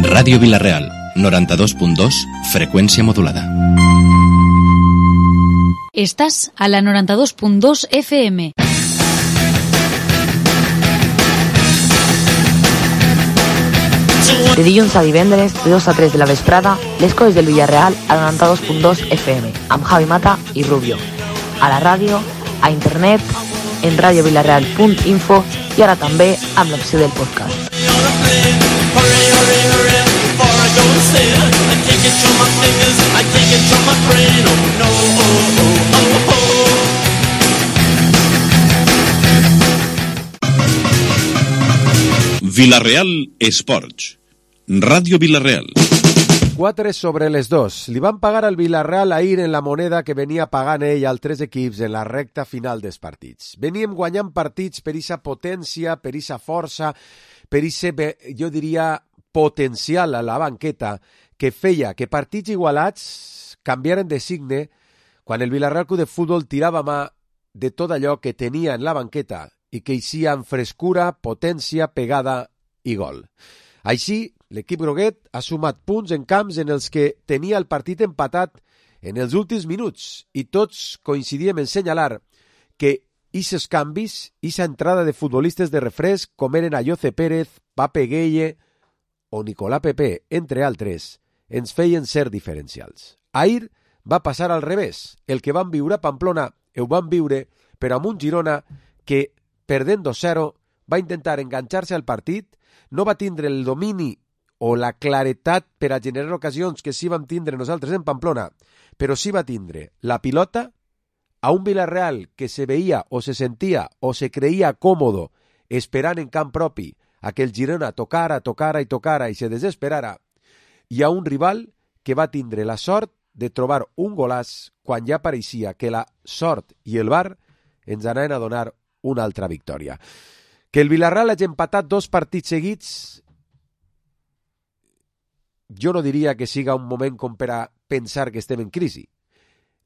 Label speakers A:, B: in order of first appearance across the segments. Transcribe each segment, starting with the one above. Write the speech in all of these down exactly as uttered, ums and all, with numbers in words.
A: Ràdio Vila-real, noranta-dos punt dos, freqüència modulada.
B: Estàs a la noranta-dos punt dos F M.
C: De dilluns a divendres, de dos a tres de la vesprada, les coses del Villarreal a noranta-dos punt dos F M, amb Javi Mata i Rubio. A la ràdio, a internet, en radiovilareal punt info i ara també amb l'opció del podcast.
D: Vila-real Esports. Ràdio Vila-real.
E: quatre sobre les dos. Li van pagar al Villarreal ahir en la moneda que venia pagant ell als tres equips en la recta final dels partits. Veníem guanyant partits per esa potència, per esa força, per ese, jo diria, potencial a la banqueta que feia que partits igualats canviaren de signe quan el Villarreal Club de Futbol tirava mà de tot allò que tenia en la banqueta i que eixia amb frescura, potència, pegada i gol. Així, l'equip groguet ha sumat punts en camps en els que tenia el partit empatat en els últims minuts i tots coincidíem en senyalar que aquests canvis, aquesta entrada de futbolistes de refresc com eren Ayoce Pérez, Pape Gueye o Nicolás Pepe, entre altres, ens feien ser diferencials. Ahir va passar al revés. El que van viure a Pamplona ho van viure, però amb un Girona que, perdent dos zero, va intentar enganxar-se al partit, no va tindre el domini o la claretat per a generar ocasions que sí vam tindre nosaltres en Pamplona, però sí va tindre la pilota a un Villarreal que se veia o se sentia o se creia còmodo esperant en camp propi a que el Girona tocara, tocara i tocara i se desesperara, i a un rival que va tindre la sort de trobar un golaç quan ja pareixia que la sort i el V A R ens anaven a donar una altra victòria. Que el Villarreal hagi empatat dos partits seguits, jo no diria que siga un moment com per a pensar que estem en crisi.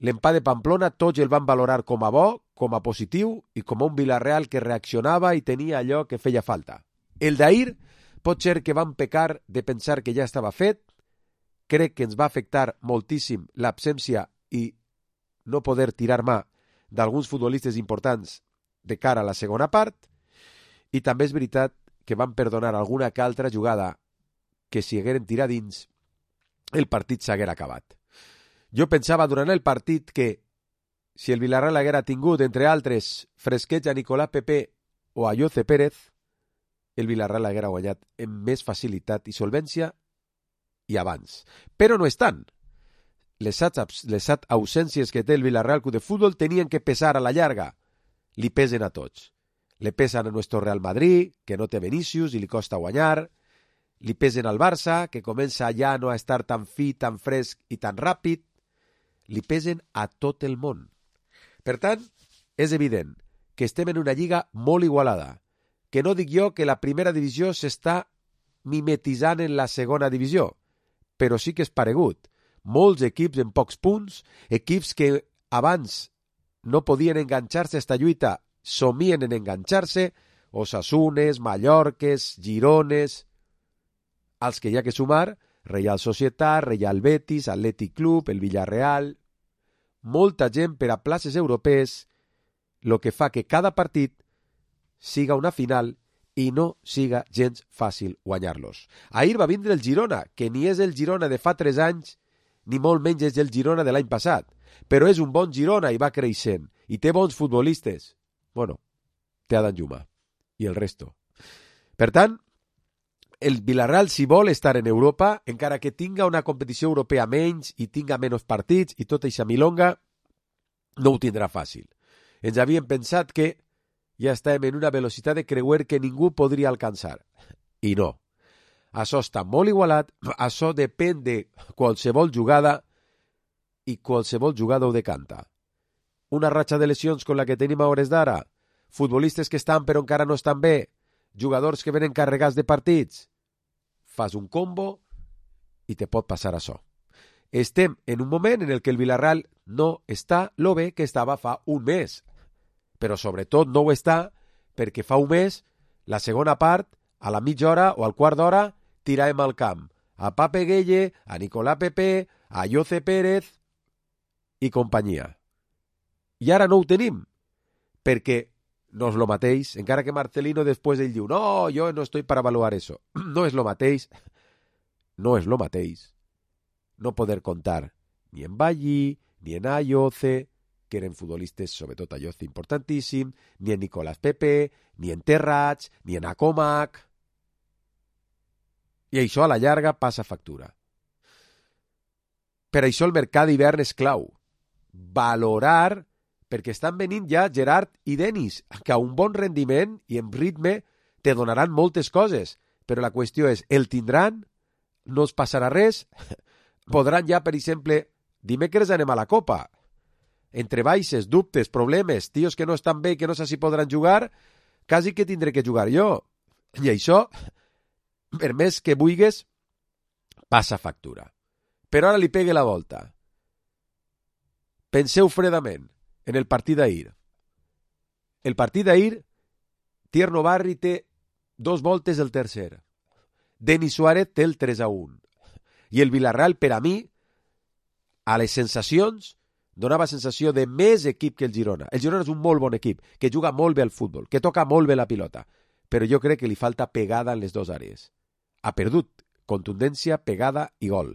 E: L'empat de Pamplona tots el van valorar com a bo, com a positiu i com a un Villarreal que reaccionava i tenia allò que feia falta. El d'ahir pot ser que van pecar de pensar que ja estava fet. Crec que ens va afectar moltíssim l'absència i no poder tirar mà d'alguns futbolistes importants de cara a la segona part, i també és veritat que van perdonar alguna que altra jugada que si hagueren tirat dins el partit s'haguera acabat. Jo pensava durant el partit que si el Villarreal haguera tingut, entre altres, fresquets a Nicolás Pepe o a Ayoce Pérez, el Villarreal haguera guanyat amb més facilitat i solvència i abans. Però no és tant. Les set ausències que té el Villarreal Club de Futbol tenien que pesar a la llarga. Li pesen a tots. Le pesen a nuestro Real Madrid, que no té Vinícius i li costa guanyar. Li pesen al Barça, que comença ja no a estar tan fi, tan fresc i tan ràpid. Li pesen a tot el món. Per tant, és evident que estem en una lliga molt igualada, que no dic jo que la primera divisió s'està mimetitzant en la segona divisió, però sí que és paregut. Molts equips en pocs punts, equips que abans no podien enganxar-se a esta lluita, somien en enganxar-se, Osasunes, Mallorques, Girones, als que hi ha que sumar, Real Societat, Real Betis, Atlètic Club, el Villarreal, molta gent per a places europees, lo que fa que cada partit siga una final i no siga gens fàcil guanyar-los. Ahir va vindre el Girona, que ni és el Girona de fa tres anys, ni molt menys és el Girona de l'any passat, però és un bon Girona i va creixent, i té bons futbolistes. Bueno, té Adán Lluma, i el resto. Per tant, el Villarreal, si vol estar en Europa, encara que tinga una competició europea menys i tinga menys partits i tota eixa milonga, no ho tindrà fàcil. Ens havíem pensat que ja estem en una velocitat de creuer que ningú podria alcançar. I no. Això està molt igualat, això depèn de qualsevol jugada i qualsevol jugada ho decanta. Una ratxa de lesions com la que tenim a hores d'ara, futbolistes que estan però encara no estan bé, jugadors que venen carregats de partits, fas un combo i te pot passar això. Estem en un moment en el que el Villarreal no està lo bé que estava fa un mes, però sobretot no ho està perquè fa un mes, la segona part, a la mitja hora o al quart d'hora, tiràvem al camp. a Pape Gueye, a Nicolás Pepe, a Jose Pérez i companyia. I ara no ho tenim, perquè no és lo mateix, encara que Marcelino després ell diu, no, jo no estoy para evaluar eso. No és lo mateix, no és lo mateix no poder contar ni en Ballí, ni en Ayoce, que eren futbolistes, sobretot Ayoce importantíssim, ni en Nicolás Pepe, ni en Terrats, ni en Acomac. I això a la llarga passa factura. Per això el mercat d'hivern és clau. Valorar, perquè estan venint ja Gerard i Denis, que a un bon rendiment i en ritme te donaran moltes coses, però la qüestió és, el tindran? No els passarà res? Podran ja, per exemple, dimecres anem a la Copa. Entre baixes, dubtes, problemes, tios que no estan bé i que no sé si podran jugar, quasi que tindré que jugar jo. I això, per més que vulguis, passa factura. Però ara li pegue la volta. Penseu fredament en el partit d'ahir. El partit d'ahir, Tierno Barri té dos voltes el tercer. Denis Suárez té el tres a un. I el Villarreal, per a mi, a les sensacions, donava sensació de més equip que el Girona. El Girona és un molt bon equip, que juga molt bé al futbol, que toca molt bé la pilota, però jo crec que li falta pegada en les dues àrees. Ha perdut contundència, pegada i gol.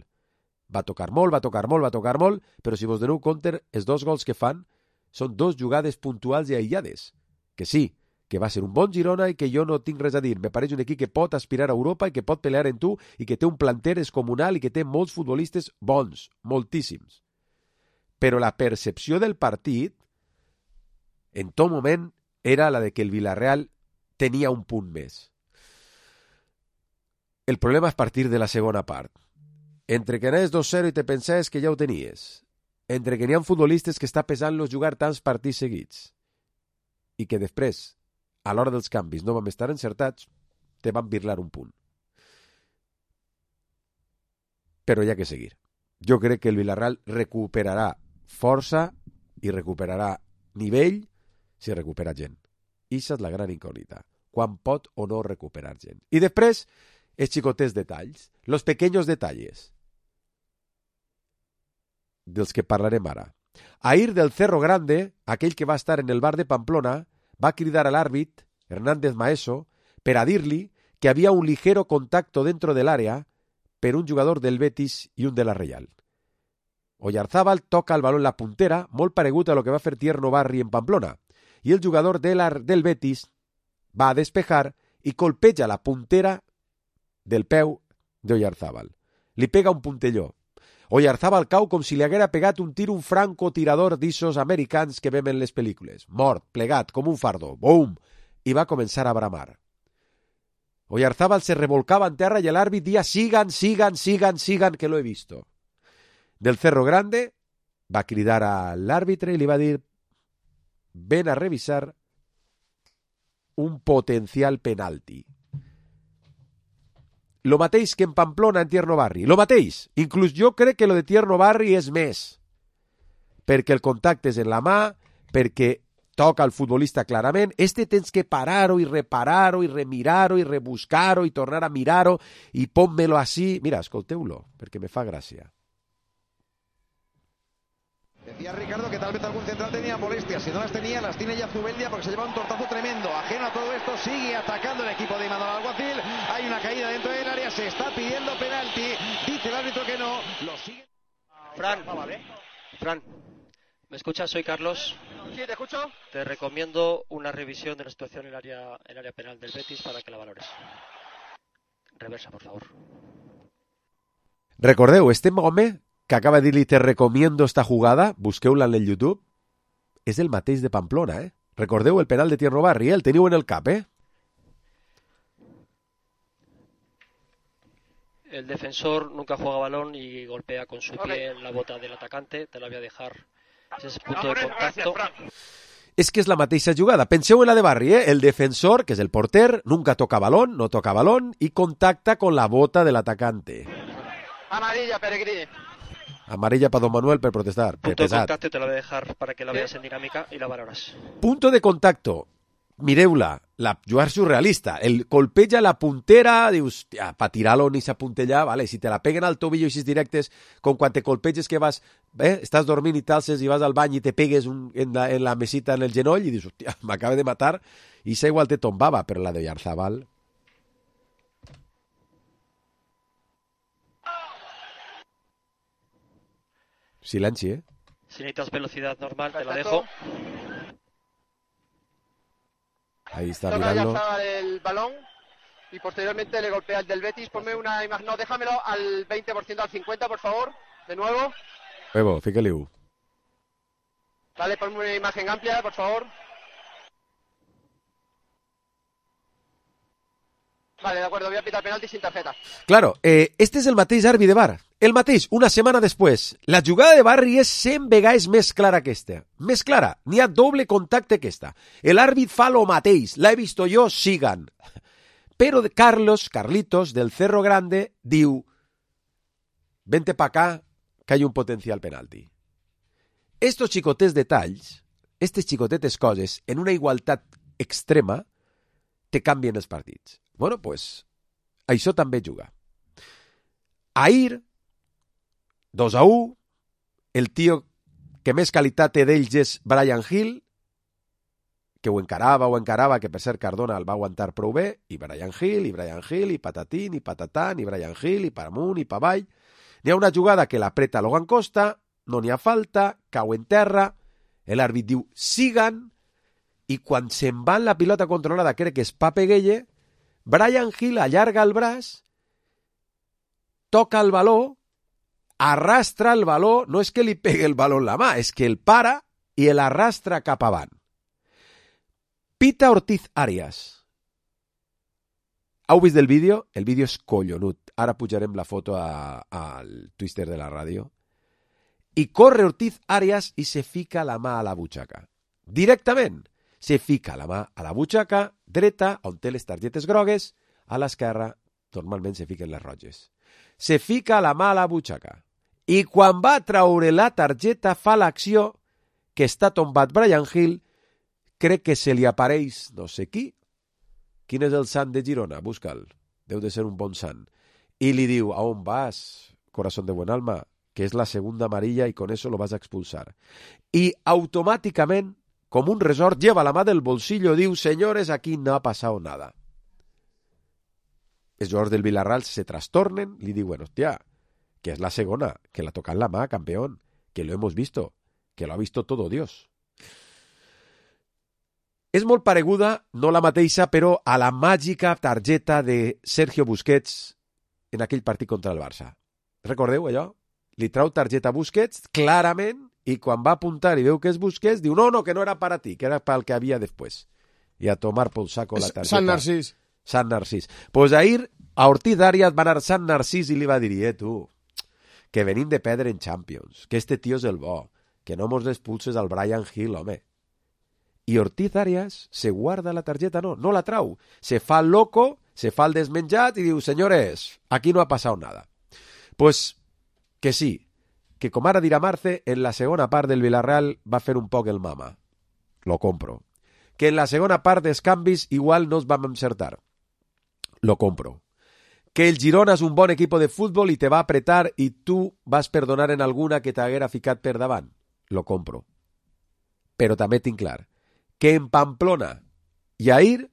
E: Va tocar molt, va tocar molt, va tocar molt, però si vos doneu compte, els dos gols que fan són dos jugades puntuals i aïllades. Que sí, que va ser un bon Girona i que jo no tinc res a dir. Me pareix un equip que pot aspirar a Europa i que pot pelear en tu i que té un planter descomunal i que té molts futbolistes bons, moltíssims. Però la percepció del partit, en tot moment, era la de que el Villarreal tenia un punt més. El problema és partir de la segona part. Entre que anaves dos zero i te pensaves que ja ho tenies, entre que n'hi ha futbolistes que està pesant-los jugar tants partits seguits i que després, a l'hora dels canvis, no vam estar encertats, te van birlar un punt. Però hi ha que seguir. Jo crec que el Villarreal recuperarà força i recuperarà nivell si recupera gent. Ixa és la gran incògnita. Quan pot o no recuperar gent. I després, els xicotets detalls, los pequeños detalles, dels que parlarem ara. Ahir del Cerro Grande, aquell que va estar en el bar de Pamplona, va cridar a l'àrbit, Hernández Maeso, per a dir-li que havia un ligero contacto dentro del área per un jugador del Betis i un de la Real. Oyarzábal toca el balón en la puntera, molt paregut a lo que va fer Tierno Barri en Pamplona, i el jugador de la, del Betis va a despejar i colpeja la puntera del peu d'Oyarzábal. Li pega un puntelló. Oyarzábal cau com si li haguera pegat un tir un francotirador d'issos americans que vem en les pel·lícules. Mort, plegat, com un fardo. Bum! I va començar a bramar. Oyarzábal se revolcava en terra i l'àrbit dia sigan, sigan, sigan, sigan, que lo he visto. Del Cerro Grande va cridar a l'àrbitre i li va dir ven a revisar un potencial penalti. Lo mateix que en Pamplona en Tierno Barri. Lo mateix. Inclús jo crec que lo de Tierno Barri és més. Perquè el contacte és en la mà, perquè toca el futbolista clarament. Este tens que parar-ho i reparar-ho i remirar-ho i rebuscar-ho i tornar a mirar-ho i pon-me-lo així. Mira, escolteu-lo, perquè me fa gràcia.
F: Decía Ricardo que tal vez algún central tenía molestias, si no las tenía, las tiene ya Zubeldia porque se lleva un tortazo tremendo. Ajeno a todo esto, sigue atacando el equipo de Imanol Alguacil. Hay una caída dentro del área, se está pidiendo penalti. Dice el árbitro que no, lo sigue.
G: Fran, Fran, ¿me escuchas? Soy Carlos.
F: Sí, te escucho.
G: Te recomiendo una revisión de la situación en el área, el área penal del Betis para que la valores. Reversa, por favor.
E: Recordeu, este home que acaba de dir-li te recomiendo esta jugada, busqueu-la en el YouTube, és el mateix de Pamplona, eh? Recordeu el penal de Tierno Barri, eh? El teniu en el cap, eh?
G: El defensor nunca juega balón y golpea con su pie en la bota del atacante. Te la voy a dejar. Ese es el punto de contacto.
E: És que és la mateixa jugada. Penseu en la de Barri, eh? El defensor, que és el porter, nunca toca balón, no toca balón y contacta con la bota del atacante.
F: Amarilla, Peregrini.
E: Amarilla para Don Manuel per protestar.
G: Punto de contacto te la voy a dejar para que la veas en dinámica y la valoras.
E: Punto de contacto. Mireu-la. la jugar surrealista. El colpeja la puntera, dius, ja, pa tirar-lo ni s'apuntellar, vale, si te la peguen al tobillo així directes, com quan te colpeges que vas, eh, estàs dormint i t'alces i vas al bany i te pegues un, en, la, en la mesita en el genoll i dius, hòstia, m'acaba de matar, i esa igual te tombava, però la de Oyarzabal... Silenci, eh?
G: Si necesitas velocidad normal, te la dejo.
E: Ahí está
H: Toca
E: mirando.
H: ya el balón y posteriormente le golpea el del Betis. Ponme una imagen, no, déjamelo al veinte por ciento, al cincuenta por favor, de nuevo.
E: Evo, fíjale.
H: Vale, ponme una imagen amplia, por favor. Vale, de acuerdo, voy a pitar penalti sin tarjeta.
E: Claro, eh, este és el mateix àrbitre de bar. El mateix, una setmana després. La jugada de Barri és cent vegades més clara que aquesta. Més clara, n'hi ha doble contacte que esta. El àrbit fa lo mateix, l'he vist jo, sigan. Però Carlos, Carlitos, del Cerro Grande, diu, vente pa acá, que hay un potencial penalti. Estos xicotés detalls, estes xicotetes coses, en una igualtat extrema, te canvien els partits. Bueno, pues, això també juga. Ahir, dos a u, el tio que més qualitat té d'ells és Brian Hill, que ho encarava, ho encarava, que per ser Cardona el va aguantar prou bé, i Brian Hill, i Brian Hill, i patatín, i patatán, i Brian Hill, i per amunt, i per avall. N'hi ha una jugada que l'apreta Logan Costa, no n'hi ha falta, cau en terra, l'àrbit diu sigan, i quan se'n va en la pilota controlada, crec que és Pape Gueye, Brian Hill allarga el braç, toca el baló, arrastra el baló, no és que li pegue el baló en la mà, és que el para i l'arrastra cap avant. Pita Ortiz Arias. Heu vist el vídeo? El vídeo és collonut. Ara pujarem la foto al Twitter de la ràdio. I corre Ortiz Arias i se fica la mà a la butxaca. Directament. Se fica la mà a la butxaca dreta, on té les targetes grogues, a l'esquerra, normalment se fiquen les roges. Se fica la mà a la butxaca. I quan va traure la targeta fa l'acció que està tombat Brian Hill, crec que se li apareix no sé qui. Quin és el sant de Girona? Busca'l. Deu de ser un bon sant. I li diu, a on vas, corazón de buen alma? Que és la segunda amarilla i con eso lo vas a expulsar. I automàticament, com un resort, lleva la mà del bolsillo i diu, señores, aquí no ha pasado nada. Els jugadors del Villarreal se trastornen, li diuen, hostia, que és la segona, que la toca en la mà, campeón, que lo hemos visto, que lo ha visto todo Dios. És molt pareguda, no la mateixa, però a la màgica targeta de Sergio Busquets en aquell partit contra el Barça. Recordeu allò? Li trau targeta a Busquets, clarament, i quan va apuntar i veu que és Busquets, diu, no, no, que no era para ti, que era pel que havia després. I a tomar por saco la targeta.
I: Sant Narcís.
E: Sant Narcís. Pues ahir a Ortiz Arias va anar Sant Narcís i li va dir, eh, tu, que venim de perdre en Champions, que este tio és el bo, que no mos expulses al Brian Hill, home. I Ortiz Arias se guarda la targeta, no, no la trau. Se fa el loco, se fa el desmenjat i diu, señores, aquí no ha passat nada. Pues que sí, que com ara dirà Marce, en la segona part del Villarreal va fer un poc el mama. Lo compro. Que en la segona part dels canvis igual no es vam encertar. Lo compro. Que el Girona és un bon equip de futbol i te va apretar i tu vas perdonar en alguna que t'haguera ficat per davant. Lo compro. Però també tinc clar que en Pamplona i ahir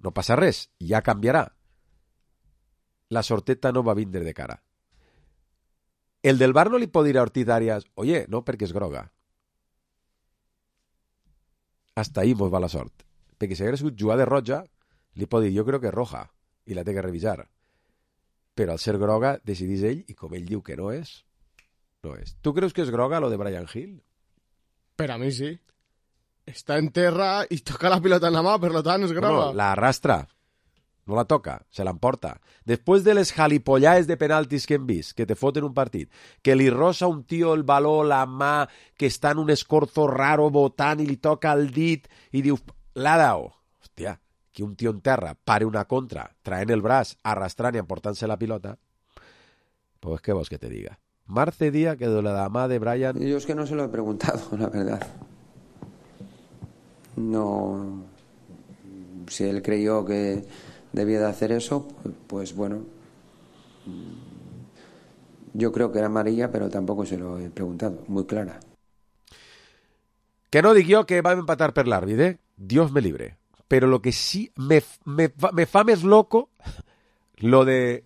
E: no passa res, ja canviarà. La sorteta no va vindre de cara. El del bar no li pot dir a Ortiz Arias, oye, no, perquè és groga. Hasta ahí mos va la sort. Perquè si hagués sigut jugada de roja, li pot dir, jo crec que és roja, i la té que revisar. Però al ser groga, decidís ell, i com ell diu que no és, no és. Tu creus que és groga lo de Brian Hill?
I: Per a mi sí. Està en terra i toca la pilota en la mà, per tant és groga.
E: No, no, la arrastra. No la toca, se l'emporta. Després de les jalipollades de penaltis que hem vist, que te foten un partit, que li rosa un tio el baló, la mà, que està en un escorzo raro botant i li toca el dit i diu, l'ha dao. Hòstia, que un tio en terra pare una contra, traent el braç, arrastrant i emportant-se la pilota. Pues què vols que te diga? Marce Díaz, que de la mà de Brian...
J: Yo es que no se lo he preguntado, la verdad. No... si él creyó que debía de hacer eso, pues bueno, yo creo que era amarilla, pero tampoco se lo he preguntado, muy clara.
E: Que no dic jo que vam empatar per l'àrbit, eh? Dios me libre. Pero lo que sí me, me, me fa més loco lo de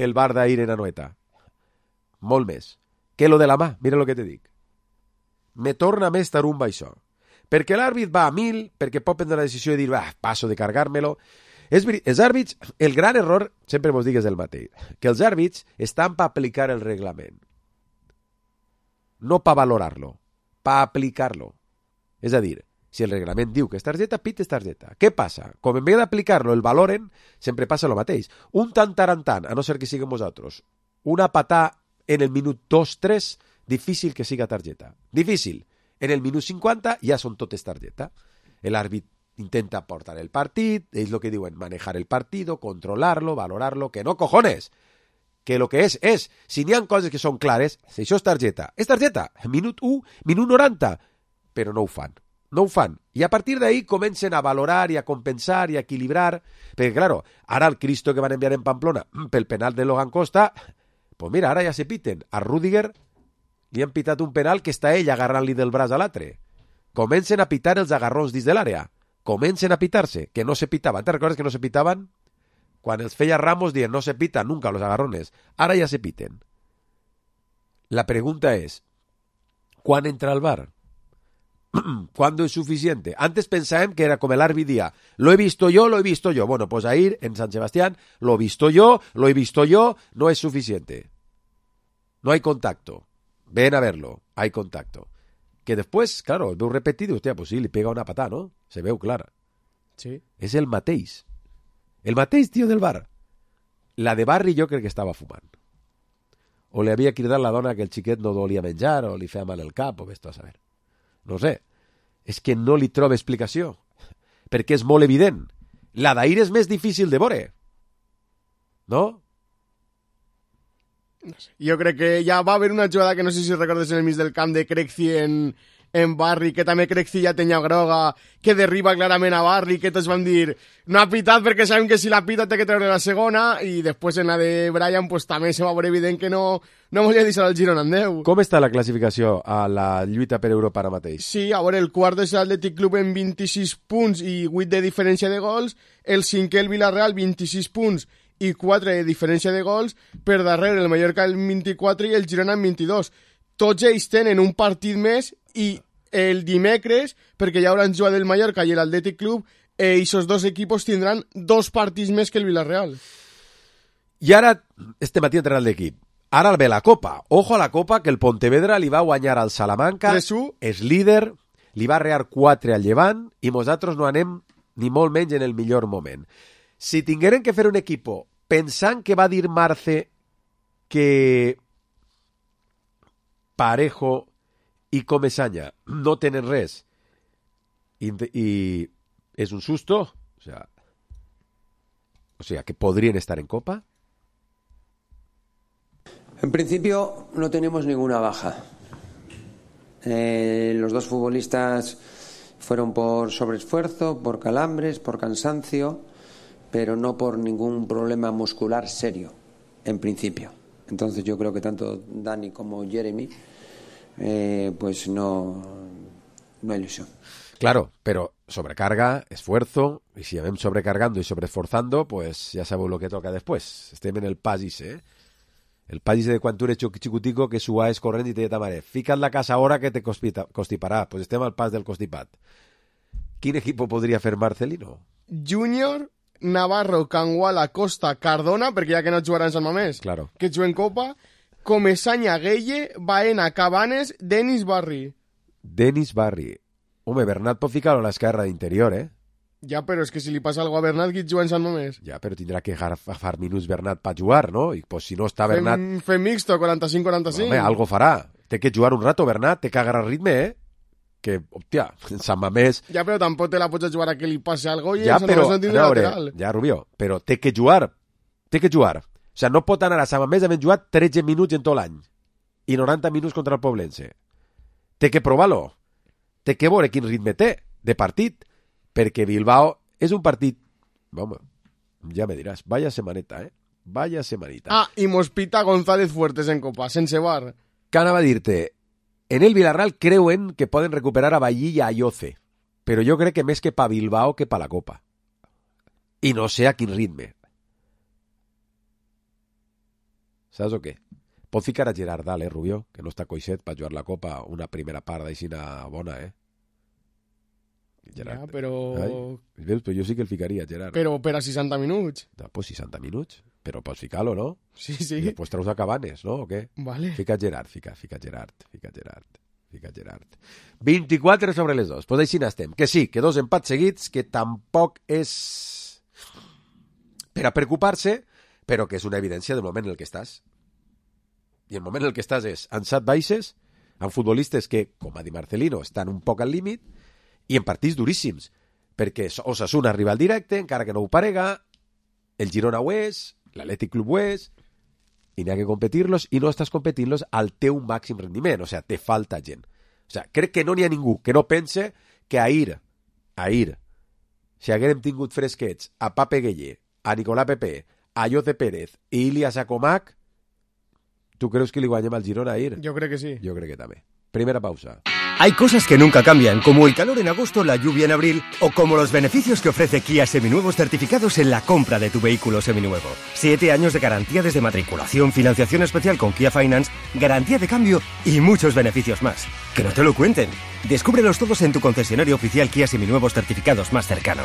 E: el bar d'ahir en Anoeta. Molt més. Que lo de la mà, mira lo que te dic. Me torna més tarumba això. Perquè l'àrbit va a mil, perquè pot prendre la decisió de dir, ah, passo de cargar-me-lo. És, els àrbits, el gran error, sempre vos digues el mateix, que els àrbits estan per aplicar el reglament. No per valorar-lo, per aplicar-lo. És a dir, si el reglament diu que és targeta, pit és targeta. Què passa? Com en vez d'aplicar-lo el valoren, sempre passa el mateix. Un tant tarantant, a no ser que siguem vosaltres, una patà en el minut dos tres, difícil que siga targeta. Difícil. En el minut cinquanta ja són totes targeta. L'àrbit intenta portar el partit, ells el que diuen, manejar el partido, controlar-lo, valorarlo, que no cojones. Que lo que és, és, si n'hi ha coses que són clares, si això és targeta, és targeta. Minut u, minut noranta. Però no ho fan, no ho fan. I a partir d'ahí comencen a valorar i a compensar i a equilibrar, perquè, claro, ara el Cristo que van enviar en Pamplona pel penal de Logan Costa, pues mira, ara ja se piten. A Rüdiger li han pitat un penal que està ell agarrant-li del braç a l'altre. Comencen a pitar els agarrons dins de l'àrea. Comencen a pitar-se, que no se pitaven. Te recordes que no se pitaven? Quan els feia Ramos dient no se pitan nunca los agarrones. Ara ja se piten. La pregunta és, ¿cuán entra al bar? ¿Cuándo es suficiente? Antes pensábamos que era como el árbitro día, lo he visto yo, lo he visto yo. Bueno, pues ahí en San Sebastián, lo he visto yo, lo he visto yo, no es suficiente. No hay contacto. Ven a verlo, hay contacto. Que después, claro, el veu repetido, hostia, pues sí, le pega una patada, ¿no? Se veu clara.
I: Sí.
E: Es el mateix. El mateix, tío, del bar. La de Barri jo crec que estava fumant. O li havia cridat la dona que el xiquet no volia menjar, o li feia mal el cap, o vés tu a saber. No sé, és que no li trobo explicació, perquè és molt evident. La d'ahir és més difícil de veure, no?
I: No sé. Jo crec que ja va haver una jugada que no sé si recordes en el mig del camp de Crecci en, en Barri, que també Crecci ja tenia groga, que derriba clarament a Barri, que tots van dir no ha pitat perquè sabem que si la pita té que treure la segona, i després en la de Brian pues també se va veure evident que no, no volia deixar el Girona en deu.
E: Com està la classificació a la lluita per Europa ara mateix?
I: Sí, a veure, el quart és l'Atlètic Club en vint-i-sis punts i vuit de diferència de gols, el cinquè el Villarreal vint-i-sis punts i quatre de diferència de gols, per darrere el Mallorca el vint-i-quatre i el Girona en vint-i-dos. Tots ells tenen un partit més i el dimecres, perquè ja hauran jugat el Mallorca i l'Atlètic Club, eh, esos dos equipos tindran dos partits més que el Villarreal.
E: I ara, este matí ha entrenat l'equip. Ara ve la Copa. Ojo a la Copa, que el Pontevedra li va guanyar al Salamanca,
I: tres u.
E: És líder, li va rear quatre al Llevant, i nosaltres no anem ni molt menys en el millor moment. Si tingueren que fer un equipo pensant que va dir Marce que Parejo i Comesaña no tenen res i, i és un susto, o sea, o sea, que podrían estar en Copa.
J: En principio no tenemos ninguna baja. Eh, los dos futbolistas fueron por sobreesfuerzo, por calambres, por cansancio, pero no por ningún problema muscular serio, en principio. Entonces yo creo que tanto Dani como Jeremy, eh, pues no, no hay ilusión.
E: Claro, pero sobrecarga, esfuerzo, y si vamos sobrecargando y sobreesforzando, pues ya sabeu lo que toca después. Estem en el pas ese, eh? El pas ese de quan tu eres xicutico que suaes corrent i te diu ta mare, fica't la casa ahora que te constiparà. Pues estem al pas del constipat. Quin equipo podria fer Marcelino?
I: Júnior, Navarro, Canguala, Costa, Cardona, perquè ja que no jugaran Sant Mamés,
E: claro,
I: que juguen Copa, Comesaña, Gueye, Baena, Cabanes, Denis Barri.
E: Denis Barri. Home, Bernat pot ficar-lo a l'esquerra d'interior, eh?
I: Ja, però és que si li passa alguna a Bernat, qui juga en Sant Mamés?
E: Ja, però tindrà que agafar minuts Bernat per jugar, no? I pues, si no està Bernat...
I: Fem, fem mixto, quaranta-cinc quaranta-cinc.
E: Home, algo farà. Té que jugar un rato, Bernat, té que agarrar ritme, eh? Que, hòstia, en Sant Mamés...
I: Ja, però tampoc te la pots jugar a que li passi algo i
E: ja,
I: en Sant
E: però,
I: Mamés no tindrà lateral.
E: Ja, Rubió, però té que jugar. Té que jugar. O sigui, no pot anar a Sant Mamés havent jugat tretze minuts en tot l'any i noranta minuts contra el Poblense. Té que provar-lo. Té que veure quin ritme té de partit, perquè Bilbao és un partit Vamos, ya me dirás. Vaya semaneta, ¿eh? Vaya semanita.
I: Ah, i mos pita González Fuertes en Copa, sense bar.
E: Que anava a dir-te, en el Villarreal creuen que poden recuperar a Ballí i a Ayoce, però jo crec que més que pa Bilbao que pa la Copa. I no sé a quin ritme. Saps o què? Pot ficar a Gerard Dalt, eh, Rubió, que no està coixet per jugar la Copa una primera part d'aixina bona, eh?
I: Gerard. Ja, però...
E: Ai, veus, però jo sí que el ficaria, Gerard.
I: Però per a seixanta minuts.
E: No, pues seixanta minuts. Però pots ficar-lo, no?
I: Sí, sí.
E: I després treus a Cabanes, no? O què?
I: Vale.
E: Fica Gerard, fica, fica Gerard, fica Gerard, fica Gerard. vint-i-quatre sobre les dos. Pues així n'estem. Que sí, que dos empats seguits, que tampoc és per a preocupar-se, però que és una evidència del moment en el que estàs. I el moment en el que estàs és en set baixes, amb futbolistes que, com a Di Marcelino, estan un poc al límit, i en partits duríssims, perquè Osasuna arriba al directe, encara que no ho parega, el Girona ho és, l'Atlètic Club ho és, i n'hi ha que competir-los, i no estàs competint-los al teu màxim rendiment, o sigui, te falta gent. O sigui, crec que no n'hi ha ningú que no pense que ahir, ahir, si haguérem tingut fresquets a Pape Gueye, a Nicolà Pepe, a Jose Pérez i Ilias Acomac, tu creus que li guanyem al Girona ahir?
I: Jo crec que sí.
E: Jo crec que també. Primera pausa.
K: Hay cosas que nunca cambian, como el calor en agosto, la lluvia en abril, o como los beneficios que ofrece Kia Seminuevos certificados en la compra de tu vehículo seminuevo. Siete años de garantía desde matriculación, financiación especial con Kia Finance, garantía de cambio y muchos beneficios más. Que no te lo cuenten. Descúbrelos todos en tu concesionario oficial Kia Seminuevos certificados más cercano.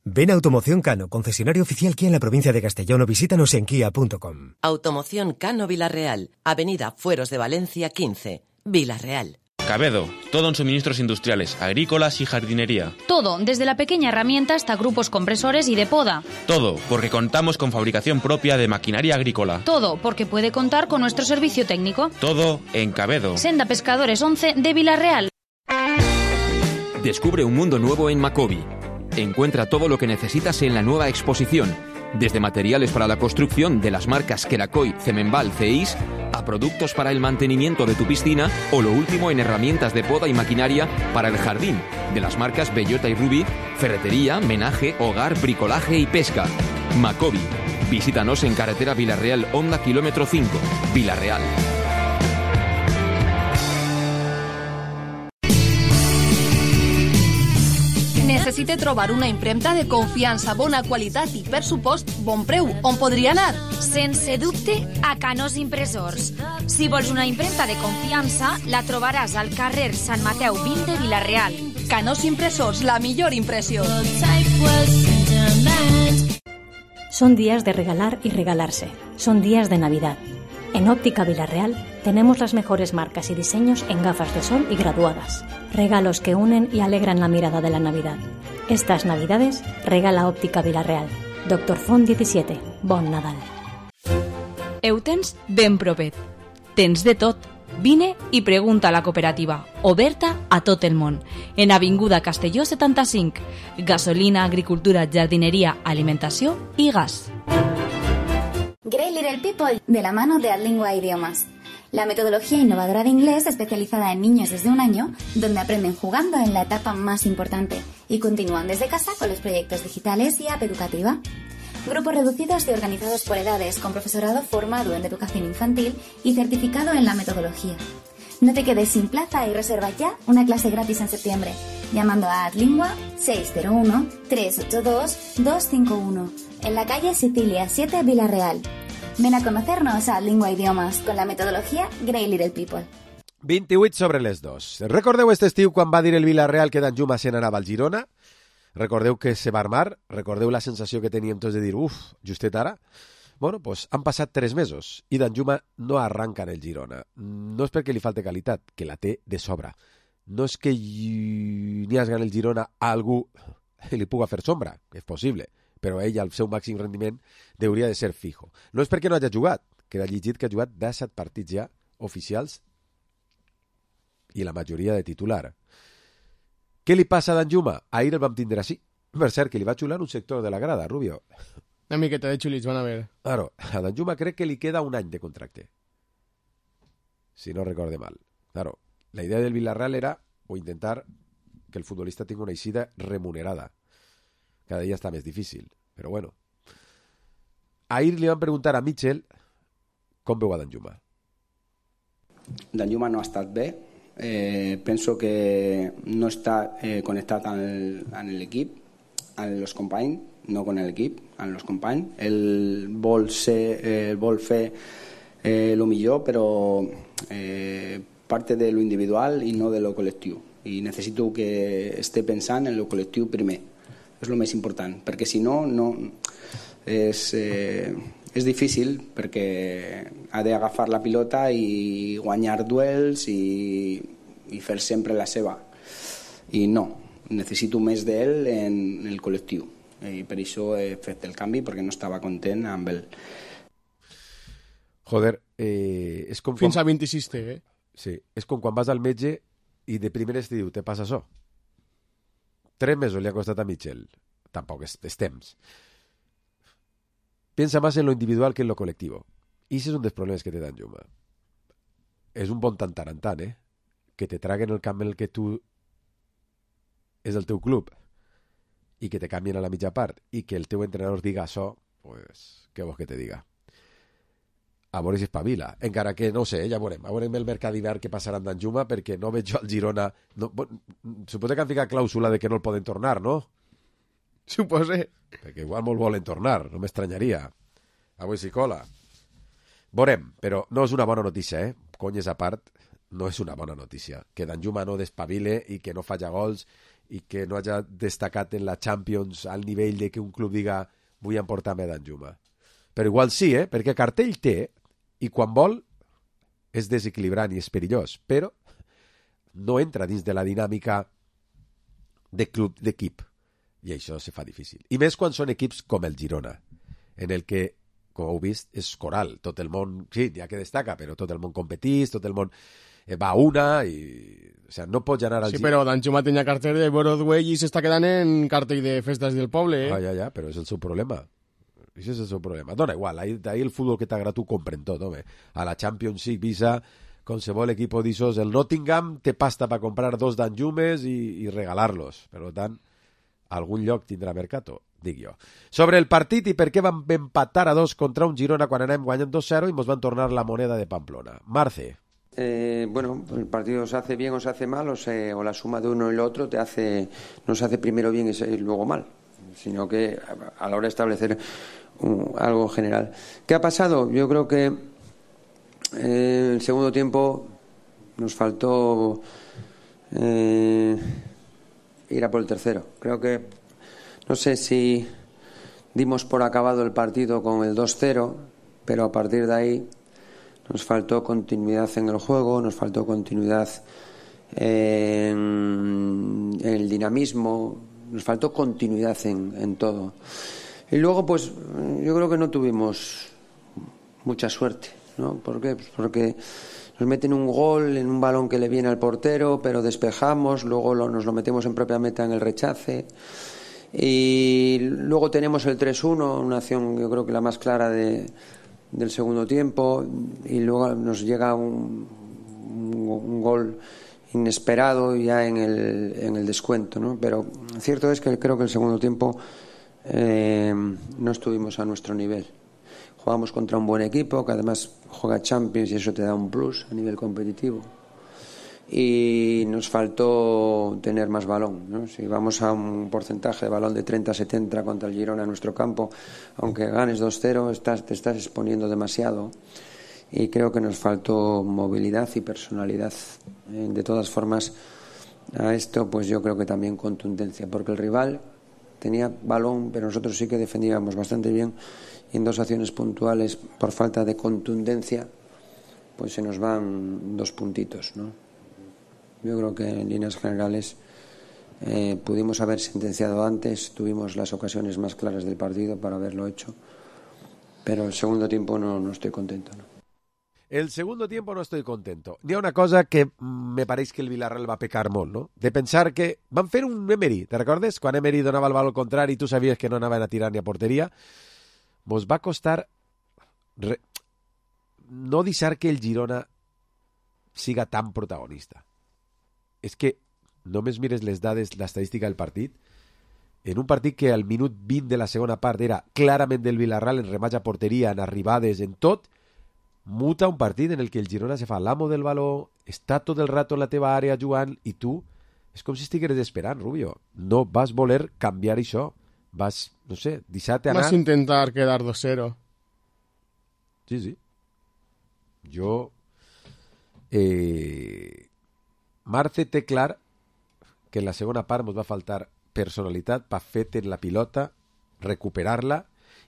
K: Ven a Automoción Cano, concesionario oficial Kia en la provincia de Castellón, o visítanos en kia punto com.
L: Automoción Cano Villarreal, Avenida Fueros de Valencia quince, Villarreal.
M: Cabedo, todo en suministros industriales, agrícolas y jardinería.
B: Todo, desde la pequeña herramienta hasta grupos compresores y de poda.
M: Todo, porque contamos con fabricación propia de maquinaria agrícola.
B: Todo, porque puede contar con nuestro servicio técnico.
M: Todo en Cabedo.
B: Senda Pescadores once de Villarreal.
N: Descubre un mundo nuevo en Macobi. Encuentra todo lo que necesitas en la nueva exposición, desde materiales para la construcción de las marcas Kerakoy, Cemenbal, Ceis, a productos para el mantenimiento de tu piscina o lo último en herramientas de poda y maquinaria para el jardín, de las marcas Bellota y Ruby, ferretería, menaje, hogar, bricolaje y pesca. Macobi. Visítanos en carretera Villarreal Honda kilómetro cinco, Villarreal.
O: Necessite trobar una impremta de confiança, bona qualitat i, per supost, bon preu. On podria anar?
P: Sense dubte, a Canós Impressors. Si vols una impremta de confiança, la trobaràs al carrer Sant Mateu vint de Vilareal.
O: Canós Impressors, la millor impressió.
Q: Son días de regalar y regalarse. Son días de Navidad. En Óptica Villarreal tenemos las mejores marcas y diseños en gafas de sol y graduadas. Regalos que unen y alegran la mirada de la Navidad. Estas Navidades regala Óptica Villarreal. Doctor Font diecisiete. Bon Nadal.
B: Eutens ben propet. Tens de tot. Vine i pregunta a la cooperativa, oberta a tot el món. En Avinguda Castelló setanta-cinc. Gasolina, agricultura, jardineria, alimentació i gas.
R: Great Little People, de la mano de Adlingua Idiomas. La metodología innovadora de inglés especializada en niños desde un año, donde aprenden jugando en la etapa más importante y continúan desde casa con los proyectos digitales y app educativa. Grupos reducidos y organizados por edades, con profesorado formado en educación infantil y certificado en la metodología. No te quedes sin plaza y reserva ya una clase gratis en septiembre, llamando a Adlingua seis cero uno, tres ocho dos, dos cinco uno, en la calle Sicilia siete, Villarreal. Ven a conocernos a Adlingua Idiomas con la metodología Great Little People.
E: vint-i-vuit sobre les dos. Recordeu aquest estiu quan va dir el Villarreal que Danjuma se n'anava al Girona? Recordeu que se va armar? Recordeu la sensació que teníem tots de dir, uf, justet ara? Bueno, doncs han passat tres mesos i Danjuma no arranca en el Girona. No és perquè li falte qualitat, que la té de sobra. No és que n'hi hagi en el Girona a algú que li puga fer sombra, que és possible, però ell, al seu màxim rendiment, hauria de ser fijo. No és perquè no hagi jugat, queda llegit que ha jugat disset partits ja oficials i la majoria de titular. Què li passa a Danjuma? Ahir el vam tindre així. Per cert, que li va xular un sector de la grada, Rubio.
I: Una miqueta de xulits van a ver.
E: Claro, a Danjuma crec que li queda un any de contracte. Si no recorde mal. Claro, la idea del Villarreal era o intentar que el futbolista tingui una eixida remunerada. Cada dia està més difícil. Però bueno. Ahir li van preguntar a Mitchell com veu a Danjuma.
S: Danjuma no ha estat bé. Eh, penso que no està eh, connectat amb l'equip, amb els companys, no con l'equip, amb els companys. Ell vol, ser, eh, vol fer eh, lo millor, però eh, parte de lo individual i no de lo col·lectiu. I necessito que esté pensant en lo col·lectiu primer. És el més important, perquè si no, no és, eh, és difícil, perquè ha d'agafar la pilota i guanyar duels i, i fer sempre la seva. I no, necessito més d'ell en el col·lectiu. I per això he fet el canvi, perquè no estava content amb ell.
E: Joder, eh, és com...
I: Fins
E: quan...
I: a vint-i-sis té, eh?
E: Sí, és com quan vas al metge i de primeres te diu, te passa això. Tres mesos li ha costat a Mitchell. Tampoc és, és temps. Piensa más en lo individual que en lo colectivo. I ese és un dels problemes que té Danjuma. És un bon tantarantant, eh? Que te traguen el camp en el que tu és el teu club i que te canvien a la mitja part i que el teu entrenador diga això, pues, què vols que te diga? A veure si espavila. Encara que, no ho sé, ja veurem. A veurem el mercat d'hivern que passarà amb Danjuma, perquè no veig jo al Girona... No, suposa que han ficat clàusula de que no el poden tornar, no?
I: Suposa.
E: Perquè igual molt volen tornar, no m'estranyaria. Avui s'hi cola. Veurem, però no és una bona notícia, eh? Conyes a part, no és una bona notícia. Que Danjuma no despavile i que no falla gols i que no hagi destacat en la Champions al nivell de que un club diga vull emportar-me Danjuma. Però igual sí, eh? Perquè cartell té i quan vol és desequilibrant i és perillós, però no entra dins de la dinàmica de club, d'equip. I això se fa difícil. I més quan són equips com el Girona, en el que, com heu vist, és coral. Tot el món, sí, ja que destaca, però tot el món competís, tot el món va a una i... O sigui, no pots anar al...
I: Sí, però Danjuma tenia cartell de Broadway i s'està quedant en cartell de festes del poble, eh?
E: Ah, ja, ja, però és el seu problema. Això és el seu problema. Dona igual, ahir, ahir el futbol que t'agrada tu compren tot, home. A la Champions League visa qualsevol equip d'ixos. El Nottingham té pasta per comprar dos Danjumes i, i regalar-los. Per tant, algun lloc tindrà mercato, dic jo. Sobre el partit i per què vam empatar a dos contra un Girona quan anem guanyant dos cero i ens van tornar la moneda de Pamplona. Marce.
J: Eh, bueno, el partido se hace bien o se hace mal, o, se, o la suma de uno y lo otro te hace, no se hace primero bien y, se, y luego mal, sino que a la hora de establecer un, algo general. ¿Qué ha pasado? Yo creo que eh, el segundo tiempo nos faltó eh, ir a por el tercero. Creo que, no sé si dimos por acabado el partido con el dos cero, pero a partir de ahí nos faltó continuidad en el juego, nos faltó continuidad en, en el dinamismo, nos faltó continuidad en, en todo. Y luego, pues, yo creo que no tuvimos mucha suerte, ¿no? ¿Por qué? Pues porque nos meten un gol en un balón que le viene al portero, pero despejamos, luego lo, nos lo metemos en propia meta en el rechace. Y luego tenemos el tres uno, una acción yo creo que la más clara de, del segundo tiempo, y luego nos llega un, un, un gol inesperado ya en el, en el descuento, ¿no? Pero cierto es que creo que el segundo tiempo eh, no estuvimos a nuestro nivel. Jugamos contra un buen equipo que además juega Champions y eso te da un plus a nivel competitivo. Y nos faltó tener más balón, ¿no? Si vamos a un porcentaje de balón de treinta a setenta contra el Girona en nuestro campo, aunque ganes dos cero, estás, te estás exponiendo demasiado. Y creo que nos faltó movilidad y personalidad. De todas formas, a esto pues yo creo que también contundencia, porque el rival tenía balón, pero nosotros sí que defendíamos bastante bien, y en dos acciones puntuales, por falta de contundencia, pues se nos van dos puntitos, ¿no? Yo creo que en líneas generales eh, pudimos haber sentenciado antes, tuvimos las ocasiones más claras del partido para haberlo hecho, pero el segundo tiempo no, no estoy contento, ¿no?
E: El segundo tiempo no estoy contento. N'hi ha una cosa que me pareix que el Villarreal va pecar molt, no? De pensar que van fer un Emery, te recordes? Quan Emery donava el valor contrari i tu sabies que no anaven a tirar ni a porteria. Mos va costar re... no deixar que el Girona siga tan protagonista. És que només mires les dades, l'estadística del partit, en un partit que al minut vint de la segona part era clarament del Villarreal en remats a porteria, en arribades, en tot, muta un partit en el que el Girona se fa l'amo del baló, està tot el rato en la teva àrea jugant i tu és com si estigueres esperant, Rubio. No vas voler canviar això. Vas, no sé, deixar-te anar...
I: Vas intentar quedar dos cero.
E: Sí, sí. Jo... Eh... Marce té clar que en la segona part ens va faltar personalitat per fer en la pilota, recuperar-la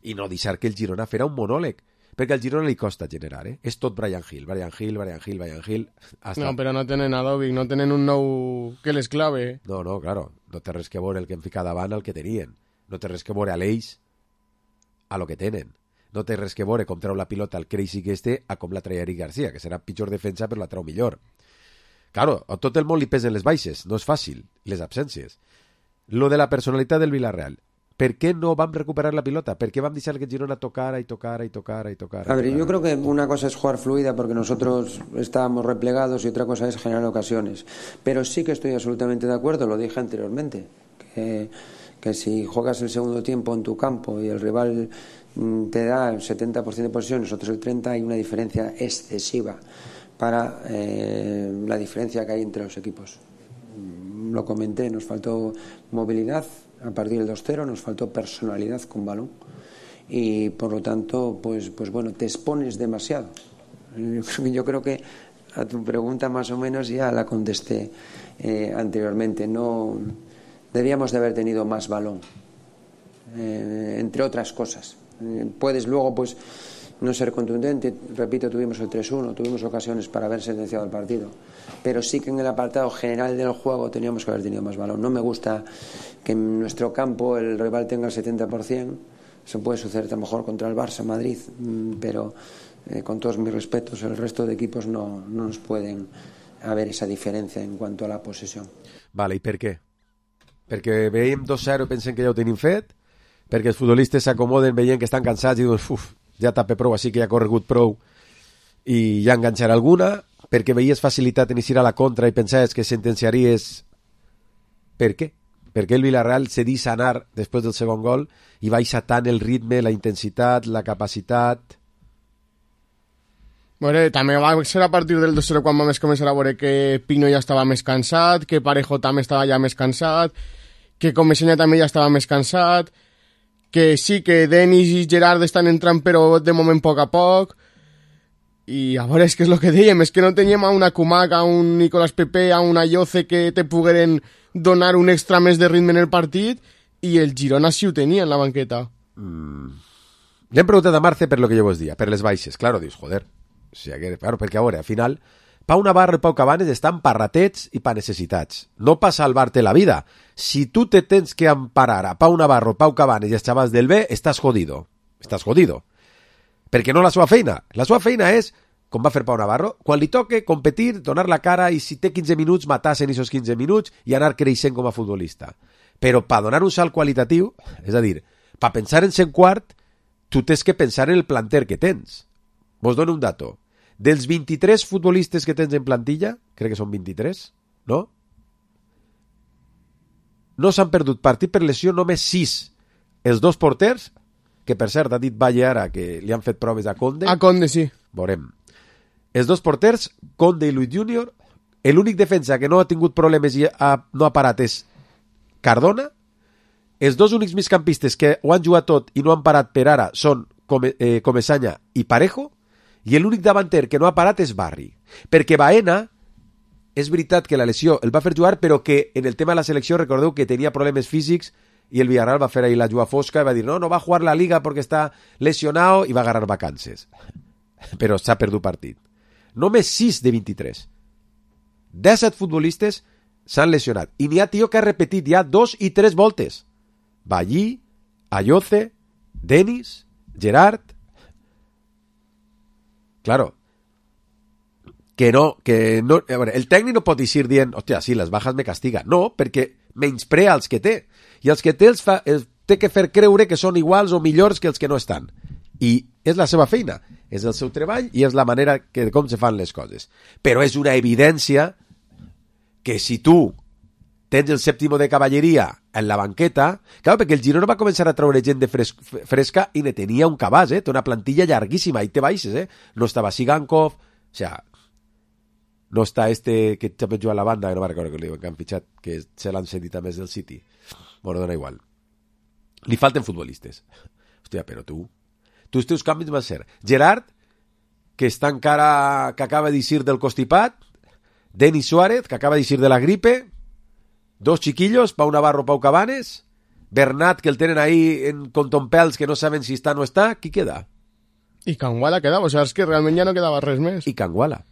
E: i no deixar que el Girona fera un monòleg, perquè al Girona li costa generar, eh? És tot Brian Hill, Brian Hill, Brian Hill, Brian Hill... Hasta...
I: No, però no tenen a Dovic, no tenen un nou que les clave.
E: No, no, claro, no té res que veure el que hem ficat davant al que tenien, no té res que veure a l'Eix a lo que tenen, no té res que veure com treu la pilota al Crazy que este a com la traia Eric Garcia, que serà pitjor defensa però la treu millor. Claro, a tot el món li pesen les baixes, no és fàcil, les absències. Lo de la personalitat del Villarreal. ¿Per qué no vam recuperar la pilota? ¿Por qué vam deixar que Girona tocara y tocara y tocara y tocara?
J: A ver, yo creo que una cosa es jugar fluida porque nosotros estábamos replegados y otra cosa es generar ocasiones. Pero sí que estoy absolutamente de acuerdo, lo dije anteriormente, que, que si juegas el segundo tiempo en tu campo y el rival te da el setenta por ciento de posesión, nosotros el treinta por ciento, hay una diferencia excesiva para eh, la diferencia que hay entre los equipos. Lo comenté, nos faltó movilidad a partir del dos cero, nos faltó personalidad con balón y por lo tanto pues, pues bueno, te expones demasiado. Yo creo que a tu pregunta más o menos ya la contesté eh, anteriormente. No debíamos de haber tenido más balón, eh, entre otras cosas. Eh, puedes luego pues no ser contundente, repito, tuvimos el tres uno, tuvimos ocasiones para haber sentenciado el partido, pero sí que en el apartado general del juego teníamos que haber tenido más balón. No me gusta que en nuestro campo el rival tenga el setenta por ciento, eso puede suceder a lo mejor contra el Barça, Madrid, pero eh, con todos mis respetos, el resto de equipos no, no nos pueden haber esa diferencia en cuanto a la posesión.
E: Vale, i per què? Perquè veiem dos zero i pensem que ja ho tenim fet, perquè els futbolistes s'acomoden veient que estan cansats i diuen, uf, ja tapé prou, així que ja ha corregut prou i ja enganxarà alguna, perquè veies facilitat en eixir a la contra i pensaves que sentenciaries. Per què? Perquè el Villarreal se deixa anar després del segon gol i baixa tant el ritme, la intensitat, la capacitat.
I: Bueno, també va ser a partir del dos cero quan vam començar a veure que Pino ja estava més cansat, que Parejo també estava ja més cansat, que Comesaña també ja estava més cansat, que sí, que Denis i Gerard estan entrant però de moment a poc a poc, i a veure, és que és el que dèiem, és que no teníem a una Kumak, a un Nicolás Pepe, a una Yoce que te pogueren donar un extra més de ritme en el partit, i el Girona sí ho tenia en la banqueta.
E: Mm. Le hem preguntat a Marce per lo que jo vos dia, per les baixes. Claro, dius, joder, o sigui, que, claro, perquè a veure, al final, Pau Navarro i Pau Cabanes estan pa ratets i pa necessitats, no pa salvar-te la vida. Si tu te tens que emparar a Pau Navarro, Pau Cabanes i els xavals del B, estàs jodido. Estàs jodido. Perquè no la seva feina. La seva feina és, com va fer Pau Navarro, quan li toque competir, donar la cara i si té quinze minuts, matar-se en aquests quinze minuts i anar creixent com a futbolista. Però per donar un salt qualitatiu, és a dir, per pensar en ser quart, tu tens que pensar en el planter que tens. Vos dono un dato. Dels vint-i-tres futbolistes que tens en plantilla, crec que són vint-i-tres, no? No s'han perdut partit per lesió només sis. Els dos porters, que per cert ha dit Valle ara que li han fet proves a Conde.
I: A Conde, sí.
E: Veurem. Els dos porters, Conde i Luis Junior, l'únic defensa que no ha tingut problemes i ha, no ha parat és Cardona. Els dos únics migcampistes que ho han jugat tot i no han parat per ara són Come, eh, Comesaña i Parejo, i l'únic davanter que no ha parat és Barri. Perquè Baena, és veritat que la lesió el va fer jugar, però que en el tema de la selecció recordeu que tenia problemes físics i el Villarreal va fer ahí la juga fosca i va dir no, no va a jugar la Liga perquè està lesionado i va agarrar vacances. Però s'ha perdut partit. Només sis de vint-i-tres. disset futbolistes s'han lesionat. I n'hi ha tio que ha repetit ja dos i tres voltes. Ballí, Ayoce, Denis, Gerard. Claro, que no, que no, a veure, el tècnic no pot dir dient, hòstia, sí, les bajas me castiga. No, perquè menysprea els que té. I els que té els fa, els té que fer creure que són iguals o millors que els que no estan. I és la seva feina, és el seu treball i és la manera que, com se fan les coses. Però és una evidència que si tu tens el sèptimo de cavalleria en la banqueta, clar, perquè el Girona va començar a treure gent de fres fresca i ne tenia un cabàs, eh? Té una plantilla llarguíssima, i té baixes, eh? No estava Sigankov, o sea, no està este que també juga a la banda, que no va recordar que, que han fitxat, que se l'han cedit a més del City. Bueno, dona igual. Li falten futbolistes. Hòstia, però tu... Tu els teus canvis van ser Gerard, que està encara... que acaba d'eixir del constipat, Denis Suárez, que acaba d'eixir de la gripe, dos chiquillos, Pau Navarro, Pau Cabanes, Bernat, que el tenen ahí en contompels que no saben si està o no està, qui queda?
I: I Canguala quedava, o sea, és que realment ja no quedava res més.
E: I Canguala.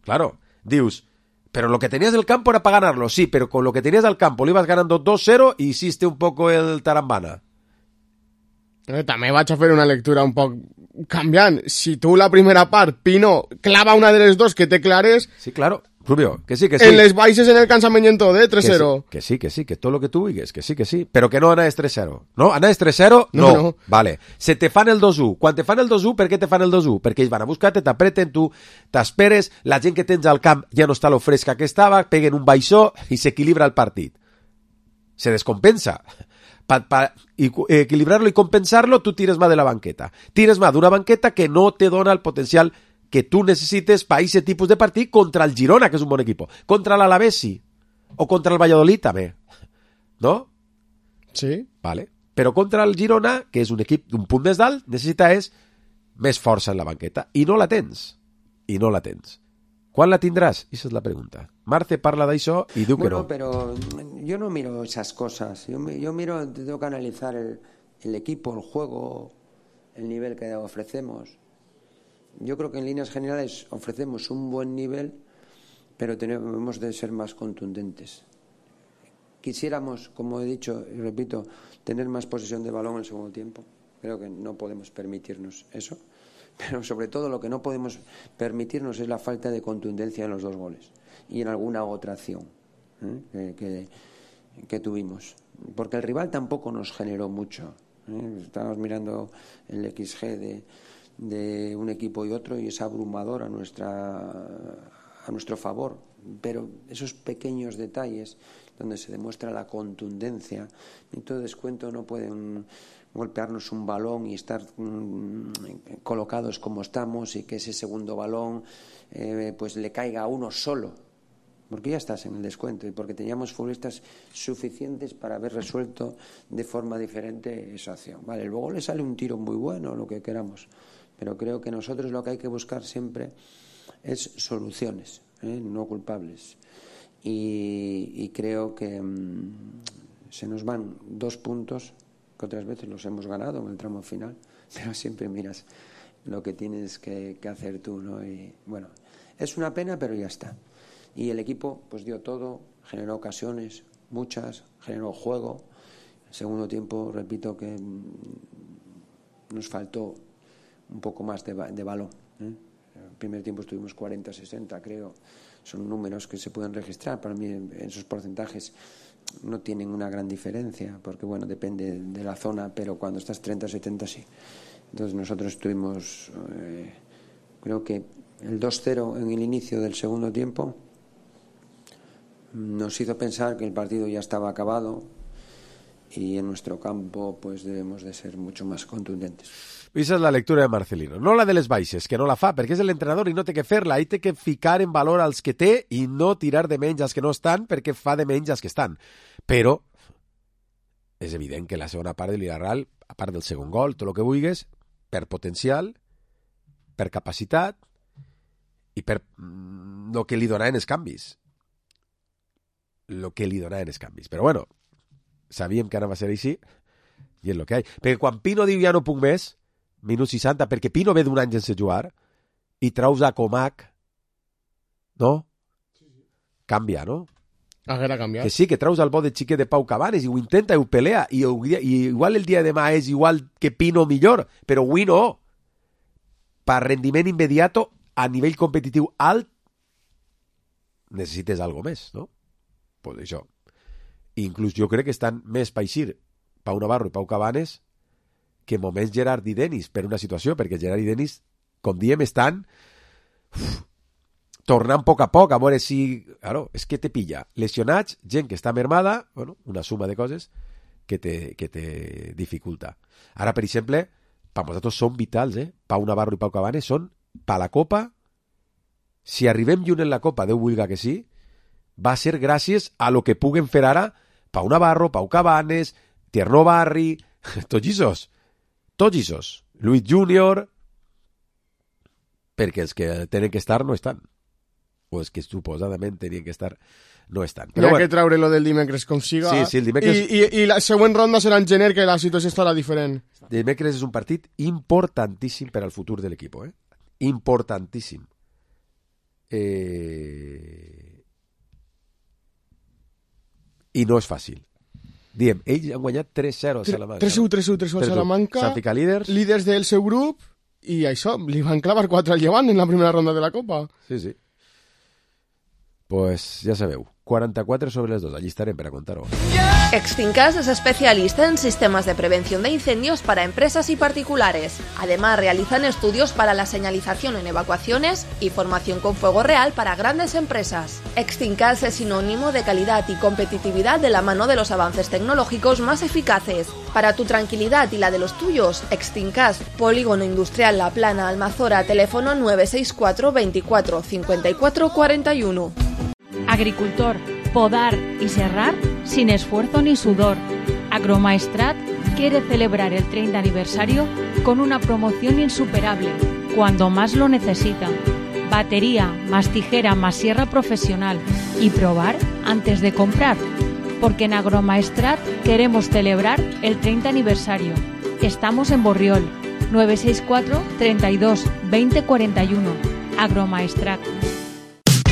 E: Claro, dius, pero lo que tenías del campo era para ganarlo, sí, pero con lo que tenías del campo lo ibas ganando dos cero y hiciste un poco el tarambana.
I: Eh, també vaig a fer una lectura un poc canviant. Si tu la primera part, Pino, clava una de les dos que té clares...
E: Sí, claro, Rubio, que sí, que sí.
I: En les baixes en el cansament en tot, eh, tres cero.
E: Que sí, que sí, que todo lo que tú digues, que sí, que sí. Pero que no anaves tres cero. No? Anaves tres cero? No. no. no. Vale. Se te fan el dos u. Quan te fan el dos u, per què te fan el dos u? Perquè ells van a buscar-te, t'apreten, tu t'esperes, la gent que tens al camp ja no està lo fresca que estava, peguen un baixó i s'equilibra el partit. Se descompensa. Para pa, equilibrarlo y compensarlo, tú tires más de la banqueta. Tires más de una banqueta que no te dona el potencial que tú necesites para ese tipus de partit contra el Girona, que és un bon equip. Contra l'Alavés, sí. O contra el Valladolid, també. No?
I: Sí.
E: Vale. Però contra el Girona, que és un equip d'un punt més dalt, necessita és més força en la banqueta. I no la tens. I no la tens. ¿Quan la tindràs? Esa és la pregunta. Marce parla d'això i diu
J: bueno,
E: que no.
J: Pero yo no miro esas cosas. Yo, yo miro, tengo que analizar el, el equipo, el juego, el nivel que ofrecemos. Yo creo que en líneas generales ofrecemos un buen nivel, pero tenemos de ser más contundentes. Quisiéramos, como he dicho y repito, tener más posesión de balón en el segundo tiempo. Creo que no podemos permitirnos eso. Pero sobre todo lo que no podemos permitirnos es la falta de contundencia en los dos goles y en alguna otra acción ¿eh? que, que, que tuvimos. Porque el rival tampoco nos generó mucho. ¿eh? Estábamos mirando el equis ge de, de un equipo y otro y es abrumador a, nuestra, a nuestro favor. Pero esos pequeños detalles donde se demuestra la contundencia, en todo descuento no pueden golpearnos un balón y estar mmm, colocados como estamos y que ese segundo balón eh, pues le caiga a uno solo, porque ya estás en el descuento y porque teníamos futbolistas suficientes para haber resuelto de forma diferente esa acción. Vale, luego le sale un tiro muy bueno, lo que queramos, pero creo que nosotros lo que hay que buscar siempre es soluciones, ¿eh? no culpables. Y, y creo que mmm, se nos van dos puntos que otras veces los hemos ganado en el tramo final, pero siempre miras lo que tienes que, que hacer tú, ¿no? Y bueno, es una pena, pero ya está. Y el equipo pues dio todo, generó ocasiones, muchas, generó juego. El segundo tiempo, repito que nos faltó un poco más de, de balón, ¿eh? El primer tiempo estuvimos cuarenta sesenta, creo. Son números que se pueden registrar. Para mí, en esos porcentajes no tienen una gran diferencia, porque bueno, depende de la zona, pero cuando estás treinta setenta sí. Entonces nosotros tuvimos, eh, creo que el dos cero en el inicio del segundo tiempo nos hizo pensar que el partido ya estaba acabado y en nuestro campo pues debemos de ser mucho más contundentes.
E: Esa és la lectura de Marcelino, no la de les baixes, que no la fa, perquè és l'entrenador i no té que fer-la, i té que ficar en valor als que té i no tirar de menys als que no estan, perquè fa de menys als que estan. Però és evident que la segona part de l'Villarreal, a part del segon gol, tot el que vulguis, per potencial, per capacitat i per el que li donaven els canvis. El que li donaven els canvis. Però bueno, sabíem que anava a ser així i és el que hi ha. Perquè quan Pino diu ja no puc més, minut seixanta, perquè Pino ve d'un any sense jugar i traus a Comac, no? Canvia, no?
I: Haguera canviat.
E: Que sí, que traus al bo de xiquet de Pau Cabanes i ho intenta i ho pelea i, i igual el dia de demà és igual que Pino millor, però avui no. Per rendiment immediato a nivell competitiu alt necessites algo més, no? Pues això. Inclús jo crec que estan més per eixir Pau Navarro i Pau Cabanes que moments Gerard i Denis per una situació, perquè Gerard i Denis, com diem, estan uf, tornant a poc a poc, a veure si... Claro, és que te pilla lesionats, gent que està mermada, bueno, una suma de coses que te, que te dificulta. Ara, per exemple, per nosaltres són vitals, eh? Pau Navarro i Pau Cabanes són, per la Copa, si arribem lluny en la Copa, Déu vulga que sí, va ser gràcies a lo que puguen fer ara Pau Navarro, Pau Cabanes, Tierno Barri, tots isos, tots isos, Luis Júnior, perquè els que tenen que estar no estan. O els que suposadament tenien que estar no estan.
I: Però hi ha bueno, que treure lo del dimecres com siga.
E: Sí, sí, el dimecres...
I: I, i, i la següent ronda serà en gener, que la situació estarà diferent.
E: Dimecres és un partit importantíssim per al futur de l'equip, eh? Importantíssim. Eh... I no és fàcil. Diem, ells han guanyat tres zero a Salamanca.
I: tres u, tres u, tres u a Salamanca.
E: S'han ficat líders.
I: Líders del seu grup, i això, li van clavar quatre al Llevant en la primera ronda de la Copa.
E: Sí, sí. Pues ya sabeu, cuarenta-cuatro sobre las dos, allí estaré para contaros.
T: Extincas es especialista en sistemas de prevención de incendios para empresas y particulares. Además, realizan estudios para la señalización en evacuaciones y formación con fuego real para grandes empresas. Extincas es sinónimo de calidad y competitividad de la mano de los avances tecnológicos más eficaces. Para tu tranquilidad y la de los tuyos, Extincas, Polígono Industrial La Plana, Almazora, teléfono nueve seis cuatro, veinticuatro, cincuenta y cuatro, cuarenta y uno.
Q: Agricultor, podar y serrar sin esfuerzo ni sudor. Agromaestrat quiere celebrar el treinta aniversario con una promoción insuperable, cuando más lo necesita. Batería, más tijera, más sierra profesional. Y probar antes de comprar. Porque en Agromaestrat queremos celebrar el treinta aniversario. Estamos en Borriol, nueve seis cuatro, treinta y dos, veinte, cuarenta y uno. Agromaestrat.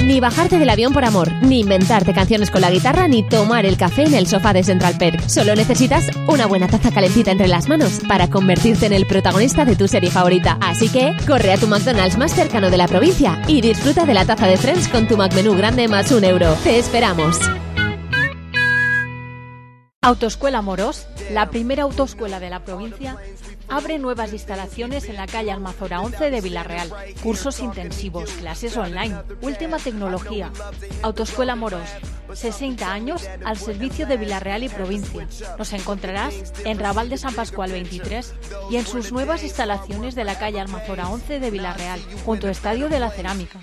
U: Ni bajarte del avión por amor, ni inventarte canciones con la guitarra, ni tomar el café en el sofá de Central Perk. Solo necesitas una buena taza calentita entre las manos para convertirte en el protagonista de tu serie favorita. Así que corre a tu McDonald's más cercano de la provincia y disfruta de la taza de Friends con tu McMenú grande más un euro. ¡Te esperamos!
Q: Autoescuela Morós, la primera autoescuela de la provincia, abre nuevas instalaciones en la calle Almazora once de Villarreal. Cursos intensivos, clases online, última tecnología. Autoescuela Morós, sesenta años al servicio de Villarreal y provincia. Nos encontrarás en Raval de San Pascual veintitrés y en sus nuevas instalaciones de la calle Almazora once de Villarreal, junto al Estadio de la Cerámica.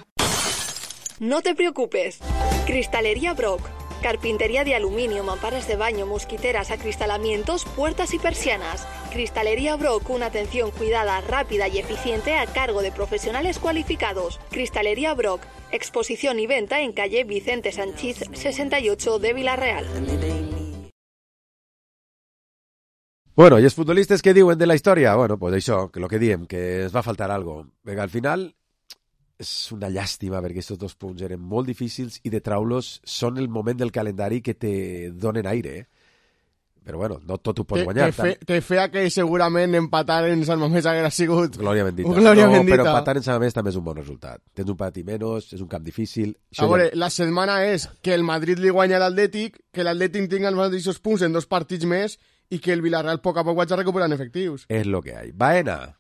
T: No te preocupes. Cristalería Brock. Carpintería de aluminio, mamparas de baño, mosquiteras, acristalamientos, puertas y persianas. Cristalería Brock, una atención cuidada, rápida y eficiente a cargo de profesionales cualificados. Cristalería Brock, exposición y venta en calle Vicente Sanchís sesenta y ocho de Villarreal.
E: Bueno, i els futbolistes què diuen de la història? Bueno, pues això, que lo que diem, que es va faltar algo. Perquè al final és una llàstima perquè aquests dos punts eren molt difícils i de traulos són el moment del calendari que te donen aire, eh? Però bueno, no tot ho pots guanyar.
I: Te, fe, te fea que segurament empatar en Sant Mamés haguera sigut...
E: Glòria bendita.
I: Glòria
E: no,
I: bendita.
E: Però empatar en Sant Mamés també és un bon resultat. Tens un partit menys, és un camp difícil...
I: A veure, ja... la setmana és que el Madrid li guanya l'Atlètic, que l'Atlètic tinga els mateixos punts en dos partits més i que el Villarreal poc a poc vagi recuperant efectius.
E: És lo que hay. Baena,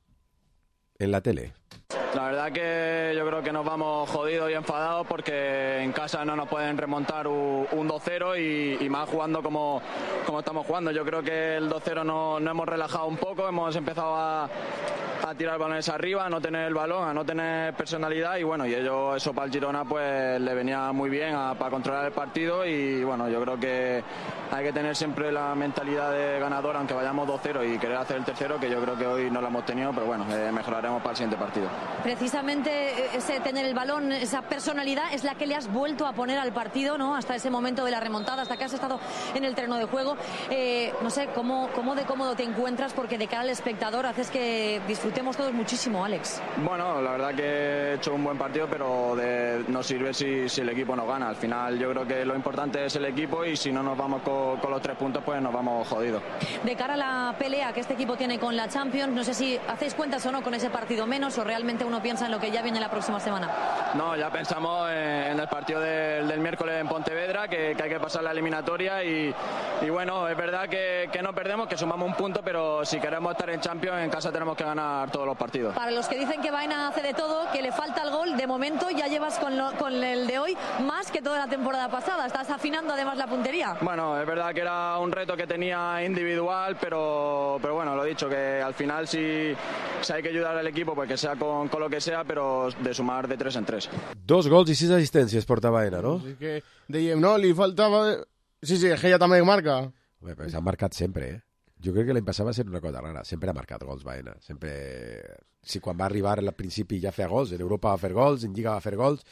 E: en la tele.
V: La verdad que yo creo que nos vamos jodidos y enfadados porque en casa no nos pueden remontar un, un dos cero y, y más jugando como, como estamos jugando. Yo creo que el dos cero no, no hemos relajado un poco, hemos empezado a, a tirar balones arriba, a no tener el balón, a no tener personalidad y bueno, y ello, eso para el Girona pues le venía muy bien a, para controlar el partido y bueno, yo creo que hay que tener siempre la mentalidad de ganador aunque vayamos dos cero y querer hacer el tercero, que yo creo que hoy no lo hemos tenido, pero bueno, eh, mejoraremos para el siguiente partido.
W: Precisamente ese tener el balón, esa personalidad es la que le has vuelto a poner al partido, ¿no? Hasta ese momento de la remontada, hasta que has estado en el terreno de juego. Eh, no sé, ¿cómo, ¿cómo de cómodo te encuentras? Porque de cara al espectador haces que disfrutemos todos muchísimo, Alex.
V: Bueno, la verdad que he hecho un buen partido, pero de, no sirve si, si el equipo no gana. Al final yo creo que lo importante es el equipo y si no nos vamos con, con los tres puntos, pues nos vamos jodidos.
W: De cara a la pelea que este equipo tiene con la Champions, no sé si hacéis cuentas o no con ese partido menos o realmente uno piensa en lo que ya viene la próxima semana.
V: No, ya pensamos en el partido del, del miércoles en Pontevedra, que, que hay que pasar la eliminatoria y, y bueno, es verdad que, que no perdemos, que sumamos un punto, pero si queremos estar en Champions en casa tenemos que ganar ganar todos los partidos.
W: Para los que dicen que Baena hace de todo, que le falta el gol, de momento ya llevas con, lo, con el de hoy más que toda la temporada pasada. Estás afinando además la puntería.
V: Bueno, es verdad que era un reto que tenía individual, pero, pero bueno, lo he dicho, que al final si, si hay que ayudar al equipo, pues que sea con, con lo que sea, pero de sumar de tres en tres.
E: Dos gols i sis assistències porta Baena, no?
I: És que dèiem, no, li faltava... Sí, sí, que ella també marca.
E: Bé, però s'ha marcat sempre, eh? Jo crec que l'any passat va ser una cosa rara. Sempre ha marcat gols, Baena. Sempre... Si quan va arribar al principi ja feia gols, en Europa va fer gols, en Lliga va fer gols...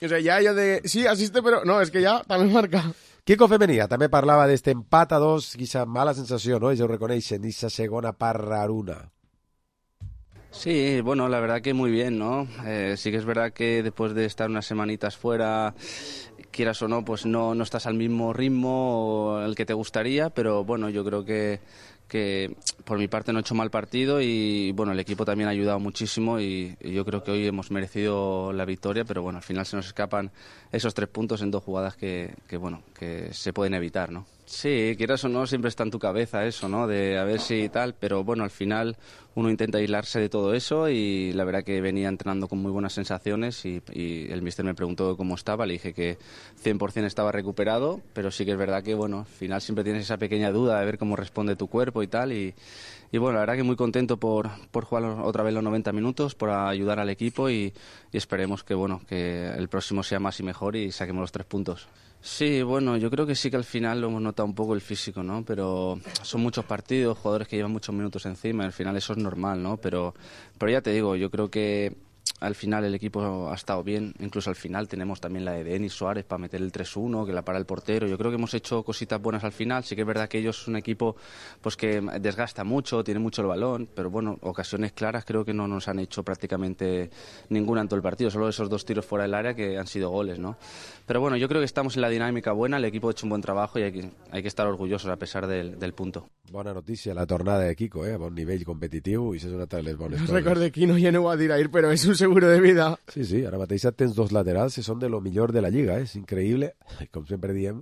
I: O sea, ja, ja de... Sí, assiste, però... No, és que ja també marca.
E: Kiko Femenia també parlava d'este empat a dos, quizá mala sensació, ¿no? Ells ho reconeixen, aquesta segona part raruna.
A: Sí, bueno, la verdad que muy bien, ¿no? Eh, sí que es verdad que después de estar unas semanitas fuera, quieras o no, pues no, no estás al mismo ritmo el que te gustaría, pero bueno, yo creo que, que por mi parte no he hecho mal partido y bueno, el equipo también ha ayudado muchísimo y, y yo creo que hoy hemos merecido la victoria, pero bueno, al final se nos escapan esos tres puntos en dos jugadas que, que bueno, que se pueden evitar, ¿no? Sí, quieras o no, siempre está en tu cabeza eso, ¿no? De a ver si tal, pero bueno, al final uno intenta aislarse de todo eso y la verdad que venía entrenando con muy buenas sensaciones y, y el míster me preguntó cómo estaba, le dije que cien por ciento estaba recuperado, pero sí que es verdad que, bueno, al final siempre tienes esa pequeña duda de ver cómo responde tu cuerpo y tal y, y bueno, la verdad que muy contento por, por jugar otra vez los noventa minutos, por ayudar al equipo y, y esperemos que, bueno, que el próximo sea más y mejor y saquemos los tres puntos. Sí, bueno, yo creo que sí que al final lo hemos notado un poco el físico, ¿no? Pero son muchos partidos, jugadores que llevan muchos minutos encima, al final eso es normal, ¿no? Pero, pero ya te digo, yo creo que al final el equipo ha estado bien, incluso al final tenemos también la de Denis Suárez para meter el tres uno, que la para el portero. Yo creo que hemos hecho cositas buenas al final. Sí que es verdad que ellos son un equipo pues que desgasta mucho, tiene mucho el balón, pero bueno, ocasiones claras creo que no nos han hecho prácticamente ninguna en todo el partido, solo esos dos tiros fuera del área que han sido goles, ¿no? Pero bueno, yo creo que estamos en la dinámica buena, el equipo ha hecho un buen trabajo y hay que, hay que estar orgullosos a pesar del, del punto.
E: Bona notícia, la tornada de Kiko, eh? A bon nivell competitiu i això és una de les bones
I: coses.
E: Record
I: de Kino ja no ho va dir ahir, però és un seguro de vida.
E: Sí, sí, ara mateix tens dos laterals que són de lo millor de la Lliga, eh? És increïble, com sempre diem,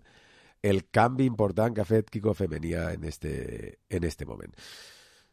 E: el canvi important que ha fet Kiko Femenia en este, en este moment.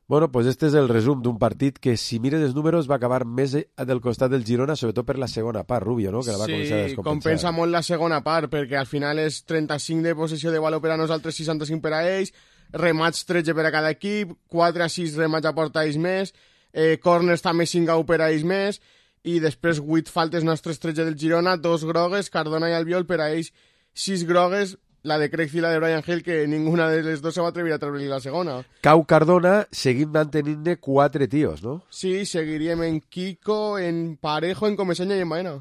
E: Bueno, pues este és el resum d'un partit que, si mires els números, va acabar més del costat del Girona, sobretot per la segona part, Rubio, no? Que la va
I: sí,
E: començar a descompensar.
I: Sí, compensa molt la segona part, perquè al final és trenta-cinc de possessió de valor per a nosaltres, seixanta-cinc per a ells, remats tretze per a cada equip, quatre a sis remats a porta ells més, eh, corners també cinc a u per a ells més, i després vuit faltes nostres tretze del Girona, dos grogues, Cardona i Albiol, per a ells sis grogues, la de Craig i la de Brian Hill, que ninguna de les dos se va atrevir a treure la segona.
E: Cau Cardona, seguim mantenint-ne quatre tios, no?
I: Sí, seguiríem en Kiko, en Parejo, en Comesaña i en Baena.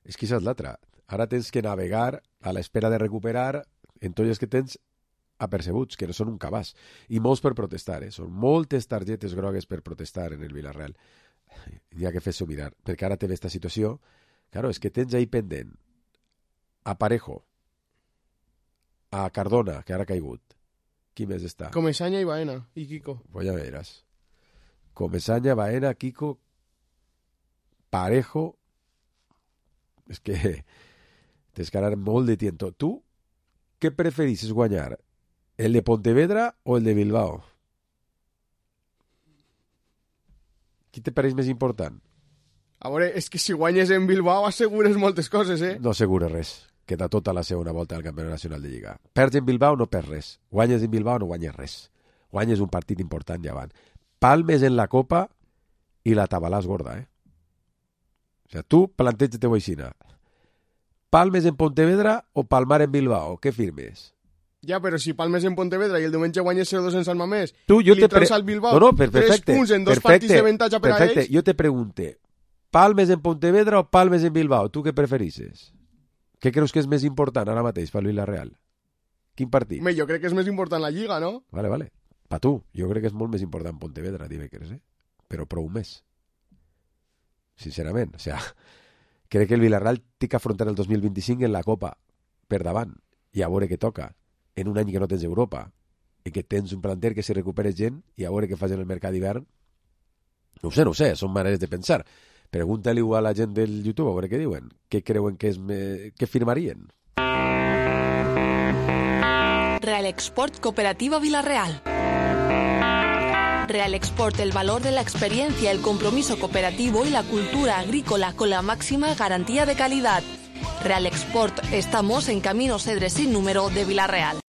E: És que això és l'altra. Ara tens que navegar a l'espera de recuperar en tots els que tens apercebuts, que no són un cabàs. I molts per protestar, eh? Són moltes targetes grogues per protestar en el Villarreal. N'hi ha que fer-s'ho mirar, perquè ara té aquesta situació. Claro, és que tens ahí pendent a Parejo, a Cardona, que ara ha caigut. Qui més està?
I: Comesaña i Baena, i Kiko.
E: Pues ja veuràs. Comesaña, Baena, Kiko, Parejo... És que tens que anar molt de tiento. Tu, què preferisses guanyar? El de Pontevedra o el de Bilbao? Qui te pareix més important?
I: A veure, és que si guanyes en Bilbao assegures moltes coses, eh?
E: No assegures res. Queda tota la segona volta del Campionat Nacional de Lliga. Perds en Bilbao, no perds res. Guanyes en Bilbao, no guanyes res. Guanyes un partit important ja van. Palmes en la Copa i la tabalàs gorda, eh? O sigui, tu planteja-te-ho aixina. Palmes en Pontevedra o palmar en Bilbao? Què firmes?
I: Ja, però si palmes en Pontevedra i el diumenge guanyes zero dos en Sant Mamés,
E: tu, jo
I: li
E: te
I: treus
E: pre...
I: al Bilbao
E: no, no, per, perfecte,
I: tres punts en dos
E: perfecte,
I: partits d'avantatge per
E: perfecte.
I: a ells...
E: Jo te pregunte, palmes en Pontevedra o palmes en Bilbao? Tu què preferisses? Què creus que és més important ara mateix pel Villarreal? Quin partit?
I: Home, jo crec que és més important la Lliga, no?
E: Vale, vale. Pa tu, jo crec que és molt més important Pontevedra, dimecres, eh? Però prou més. Sincerament, o sea, crec que el Villarreal té que afrontar el dos mil vint-i-cinc en la Copa per davant i a veure què toca en un any que no tens Europa i que tens un planter que si recuperes gent i a veure què fas en el mercat d'hivern. No ho sé, no ho sé, són maneres de pensar. Pregunta-li a la gent del YouTube a veure què diuen. Què creuen que, és me... que firmarien?
T: Real Export Cooperativa Villarreal. Real Export el valor de la experiencia, el compromiso cooperativo y la cultura agrícola con la máxima garantía de calidad. Real Export, estamos en Camino Cedre sin número de Vila-real.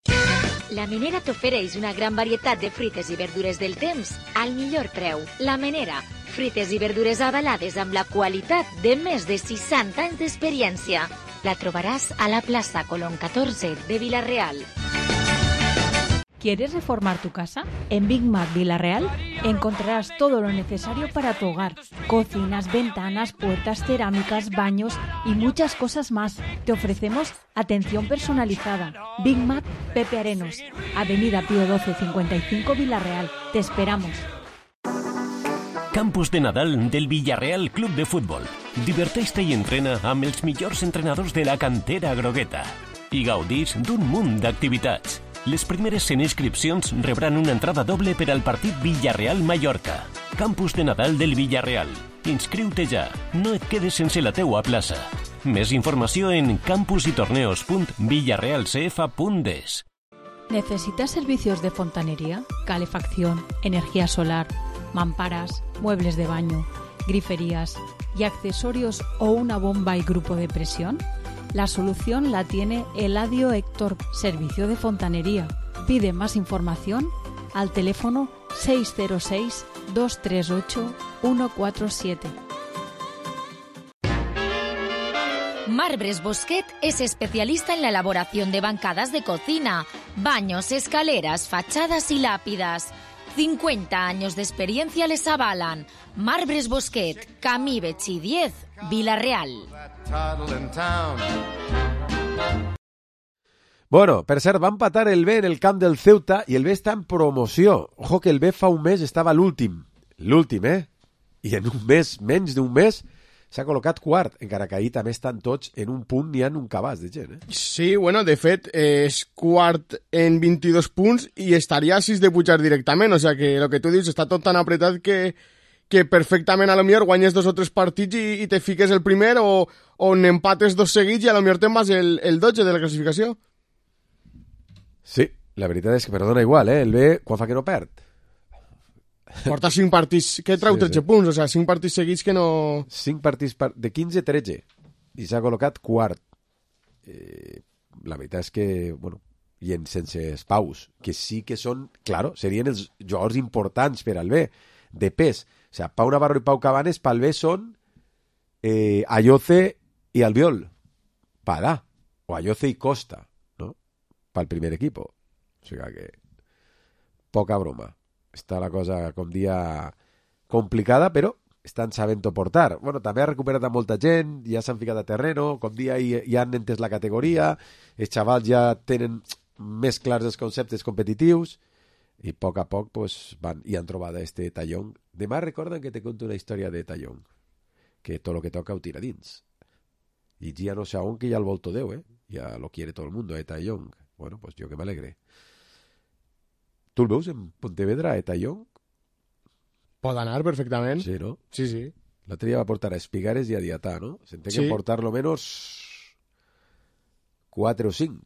P: La Menera t'ofereix una gran varietat de fruites i verdures del temps al millor preu. La Menera, fruites i verdures avalades amb la qualitat de més de seixanta anys d'experiència. La trobaràs a la plaça Colón catorze de Vila-real.
B: ¿Quieres reformar tu casa? En Big Mac Vila-real encontrarás todo lo necesario para tu hogar. Cocinas, ventanas, puertas, cerámicas, baños y muchas cosas más. Te ofrecemos atención personalizada. Big Mac Pepe Arenos, Avenida Pío doce cincuenta y cinco Vila-real. Te esperamos.
C: Campus de Nadal del Villarreal Club de Futbol. Diverteix-te i entrena amb els millors entrenadors de la cantera grogueta. I gaudís d'un munt d'activitats. Les primeres cent inscripcions rebran una entrada doble per al partit Villarreal-Mallorca. Campus de Nadal del Villarreal. Inscriu-te ja. No et quedes sense la teua plaça. Més informació en campusytorneos punt villarrealcf punt es.
B: ¿Necesitas servicios de fontanería, calefacción, energía solar, mamparas, muebles de baño, griferías y accesorios o una bomba y grupo de presión? La solución la tiene Eladio Héctor, Servicio de Fontanería. Pide más información al teléfono seis cero seis, dos tres ocho, uno cuatro siete.
P: Marbres Bosquet es especialista en la elaboración de bancadas de cocina, baños, escaleras, fachadas y lápidas. cincuenta años de experiencia les avalan. Marbres Bosquet, Camí Betxí diez, Vila-real.
E: Bueno, per cert, va empatar el B en el camp del Ceuta i el B està en promoció. Ojo que el B fa un mes estava a l'últim. L'últim, eh? I en un mes, menys d'un mes, s'ha col·locat quart, encara que ahir també estan tots en un punt, n'hi ha un cabàs de gent, eh?
I: Sí, bueno, de fet, eh, és quart en vint-i-dos punts i estaria a sis de pujar directament, o sea que el que tu dius està tot tan apretat que, que perfectament a lo millor guanyes dos o tres partits i, i te fiques el primer o, o n'empates dos seguits i a lo millor te'n vas el, el dotze de la classificació.
E: Sí, la veritat és que perdona igual, eh? El B, quan fa que no perd?
I: Porta cinc partits, que treu sí, tretze sí. punts, o sigui, cinc partits seguits que no...
E: cinc partits par... de quinze a tretze, i s'ha col·locat quart. Eh, la veritat és que, bueno, i en sense espaus, que sí que són, claro, serien els jugadors importants per al B, de pes. O sigui, Pau Navarro i Pau Cabanes pel B són eh, Ayoce i Albiol. Padà. O Ayoce i Costa, no? Pel primer equipo. O sigui que... poca broma. Està la cosa, com dia, complicada, però estan sabent-ho portar. Bueno, també ha recuperat a molta gent, ja s'han ficat a terreno, com dia ja han entès la categoria, els xavals ja tenen més clars els conceptes competitius, i a poc a poc pues, van, i han trobat este Tallón. Demà recorden que te conto una història de Tallón, que tot lo que toca ho tira dins. I ja no sé on que ja el volto Déu, eh? Ja lo quiere todo el mundo, eh, Tallón. Bueno, pues jo que m'alegre. Tu el veus en Pontevedra, eh, Tallón?
I: Pot anar perfectament.
E: Sí, no?
I: Sí, sí.
E: L'altre dia va portar a Espigares i a Diatà, no? S'entén sí. que portar lo menos quatre o cinc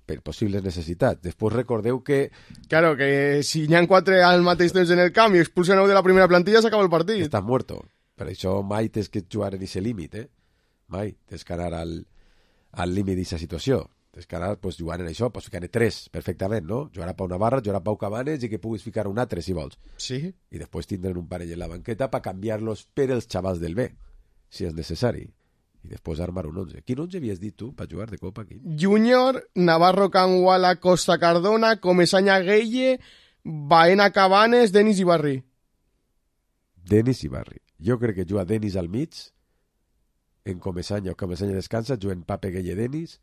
E: per possibles necessitats. Després recordeu que...
I: Claro, que si n'hi ha quatre al mateix temps en el camp i expulsen nou de la primera plantilla, s'acaba el partit.
E: Estàs muerto. Per això mai tens que jugar en aquest límit, eh? Mai. Tens que anar al, al límit d'aquesta situació. Tens que anar pues, jugant en això, pots ficar-ne tres perfectament, no? Jugar a Pau Navarra, jugar a Pau Cabanes i que puguis ficar un altre, si vols.
I: Sí.
E: I després tindran un parell en la banqueta per canviar-los per els xavals del B, si és necessari. I després armar un onze. Quin onze havies dit tu per jugar de Copa aquí?
I: Júnior, Navarro Canguala, Costa Cardona, Comesaña Gueye, Baena Cabanes, Denis Ibarri.
E: Denis Ibarri. Jo crec que juga Denis al mig, en Comesaña o Comesaña descansa, juguen Pape Gueye Denis.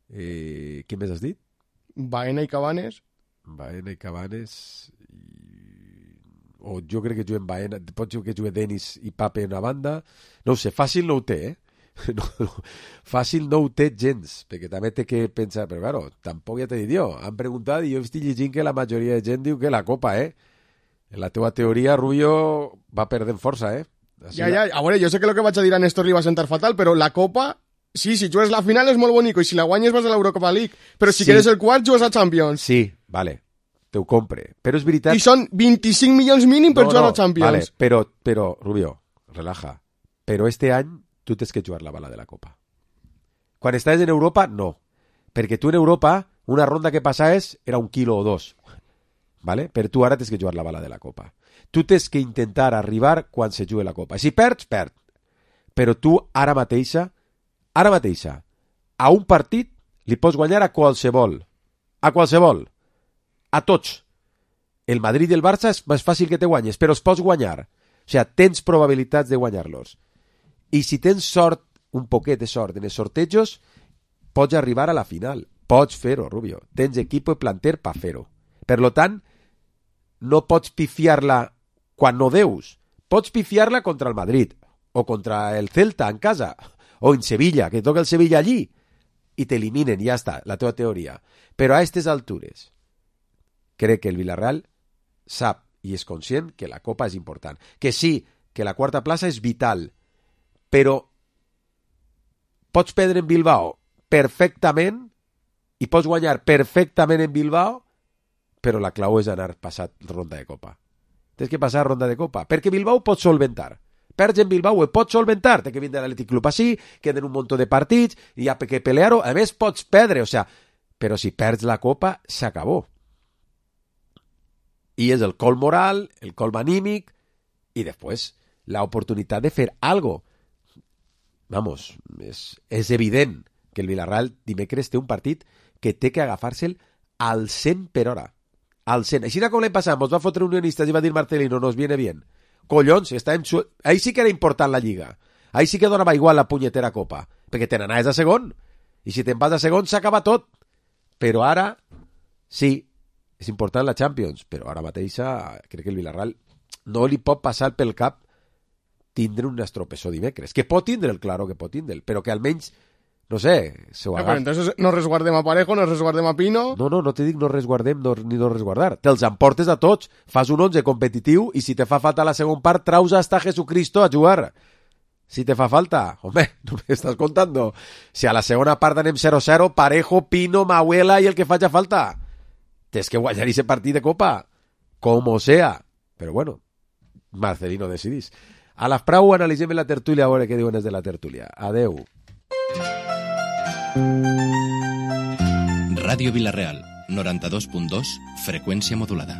E: Eh, què més has dit?
I: Baena i Cabanes.
E: Baena i Cabanes i... o jo crec que juguen Baena, pot ser que jugui Denis i Pape en una banda, no ho sé, fàcil no ho té, eh? No, no, fàcil no ho té gens, perquè també té que pensar, però claro, tampoc ja t'he dit jo, han preguntat i jo estic llegint que la majoria de gent diu que la Copa, eh? En la teva teoria, Rubio va perdent força, eh?
I: Així ja, ja, a veure, jo sé que el que vaig a dir a Néstor li va sentar fatal, però la Copa... Sí, si jugues la final és molt bonico i si la guanyes vas a l'Eurocopa League, però si sí. quedes el quart jugues a Champions.
E: Sí, vale. te ho compre. Però és veritat...
I: I són vint-i-cinc milions mínim per
E: no,
I: jugar
E: no,
I: a Champions.
E: Vale, però, però, Rubio, relaja. Però este any tu tens que jugar la bala de la Copa. Quan estàs en Europa, no. Perquè tu en Europa, una ronda que passaves era un quilo o dos. Vale? Però tu ara tens que jugar la bala de la Copa. Tu tens que intentar arribar quan se jugui la Copa. Si perds, perd. Però tu ara mateixa, ara mateixa, a un partit li pots guanyar a qualsevol. A qualsevol. A tots. El Madrid i el Barça és més fàcil que te guanyes, però els pots guanyar. O sigui, tens probabilitats de guanyar-los. I si tens sort, un poquet de sort en els sortejos, pots arribar a la final. Pots fer-ho, Rubio. Tens equip i planter per fer-ho. Per lo tant, no pots pifiar-la quan no deus. Pots pifiar-la contra el Madrid, o contra el Celta en casa, o en Sevilla, que toca el Sevilla allí, i t'eliminen, ja està, la teva teoria. Però a aquestes altures, crec que el Villarreal sap i és conscient que la Copa és important. Que sí, que la quarta plaça és vital, però pots perdre en Bilbao perfectament i pots guanyar perfectament en Bilbao, però la clau és anar passat ronda de Copa. Tens que passar ronda de Copa, perquè Bilbao pot solventar. Perds en Bilbao ho pots solventar, té que vindre l'Atlètic Club així, queden un munt de partits, i hi ha que pelear-ho, a més pots perdre, o sea, però si perds la Copa, s'acabó. I és el col moral, el col anímic, i després la oportunitat de fer algo. Vamos, és, és evident que el Villarreal dimecres té un partit que té que agafar-se'l al cent per hora. Al cent. Així com l'any passat, ens va fotre Unionistes i va dir Marcelino, nos viene bien. Collons, està en su... ahí sí que era important la Lliga. Ahí sí que donava igual la punyetera Copa, perquè te n'anaves a segon. I si te'n vas a segon, s'acaba tot. Però ara, sí, és important la Champions, però ara mateixa crec que el Villarreal no li pot passar pel cap tindre un estropessó dimecres. Que pot tindre'l, claro que pot tindre'l, però que almenys, no sé, se ho
I: agafa.
E: agafa.
I: Entonces no resguardem a Parejo, no resguardem a Pino...
E: No, no, no te dic no resguardem no, ni no resguardar. Te'ls emportes a tots, fas un onze competitiu i si te fa falta la segona part, traus hasta Jesucristo a jugar. Si te fa falta, home, no me estàs contando. Si a la segona part anem zero zero, Parejo, Pino, Mahuela i el que faci falta. Tens que guanyar ese partit de Copa, como sea. Però bueno, Marcelino decidís. A les prou analitzem la tertúlia a veure què diuen des de la tertúlia. Adeu.
D: Ràdio Vilareal, noranta-dos punt dos, freqüència modulada.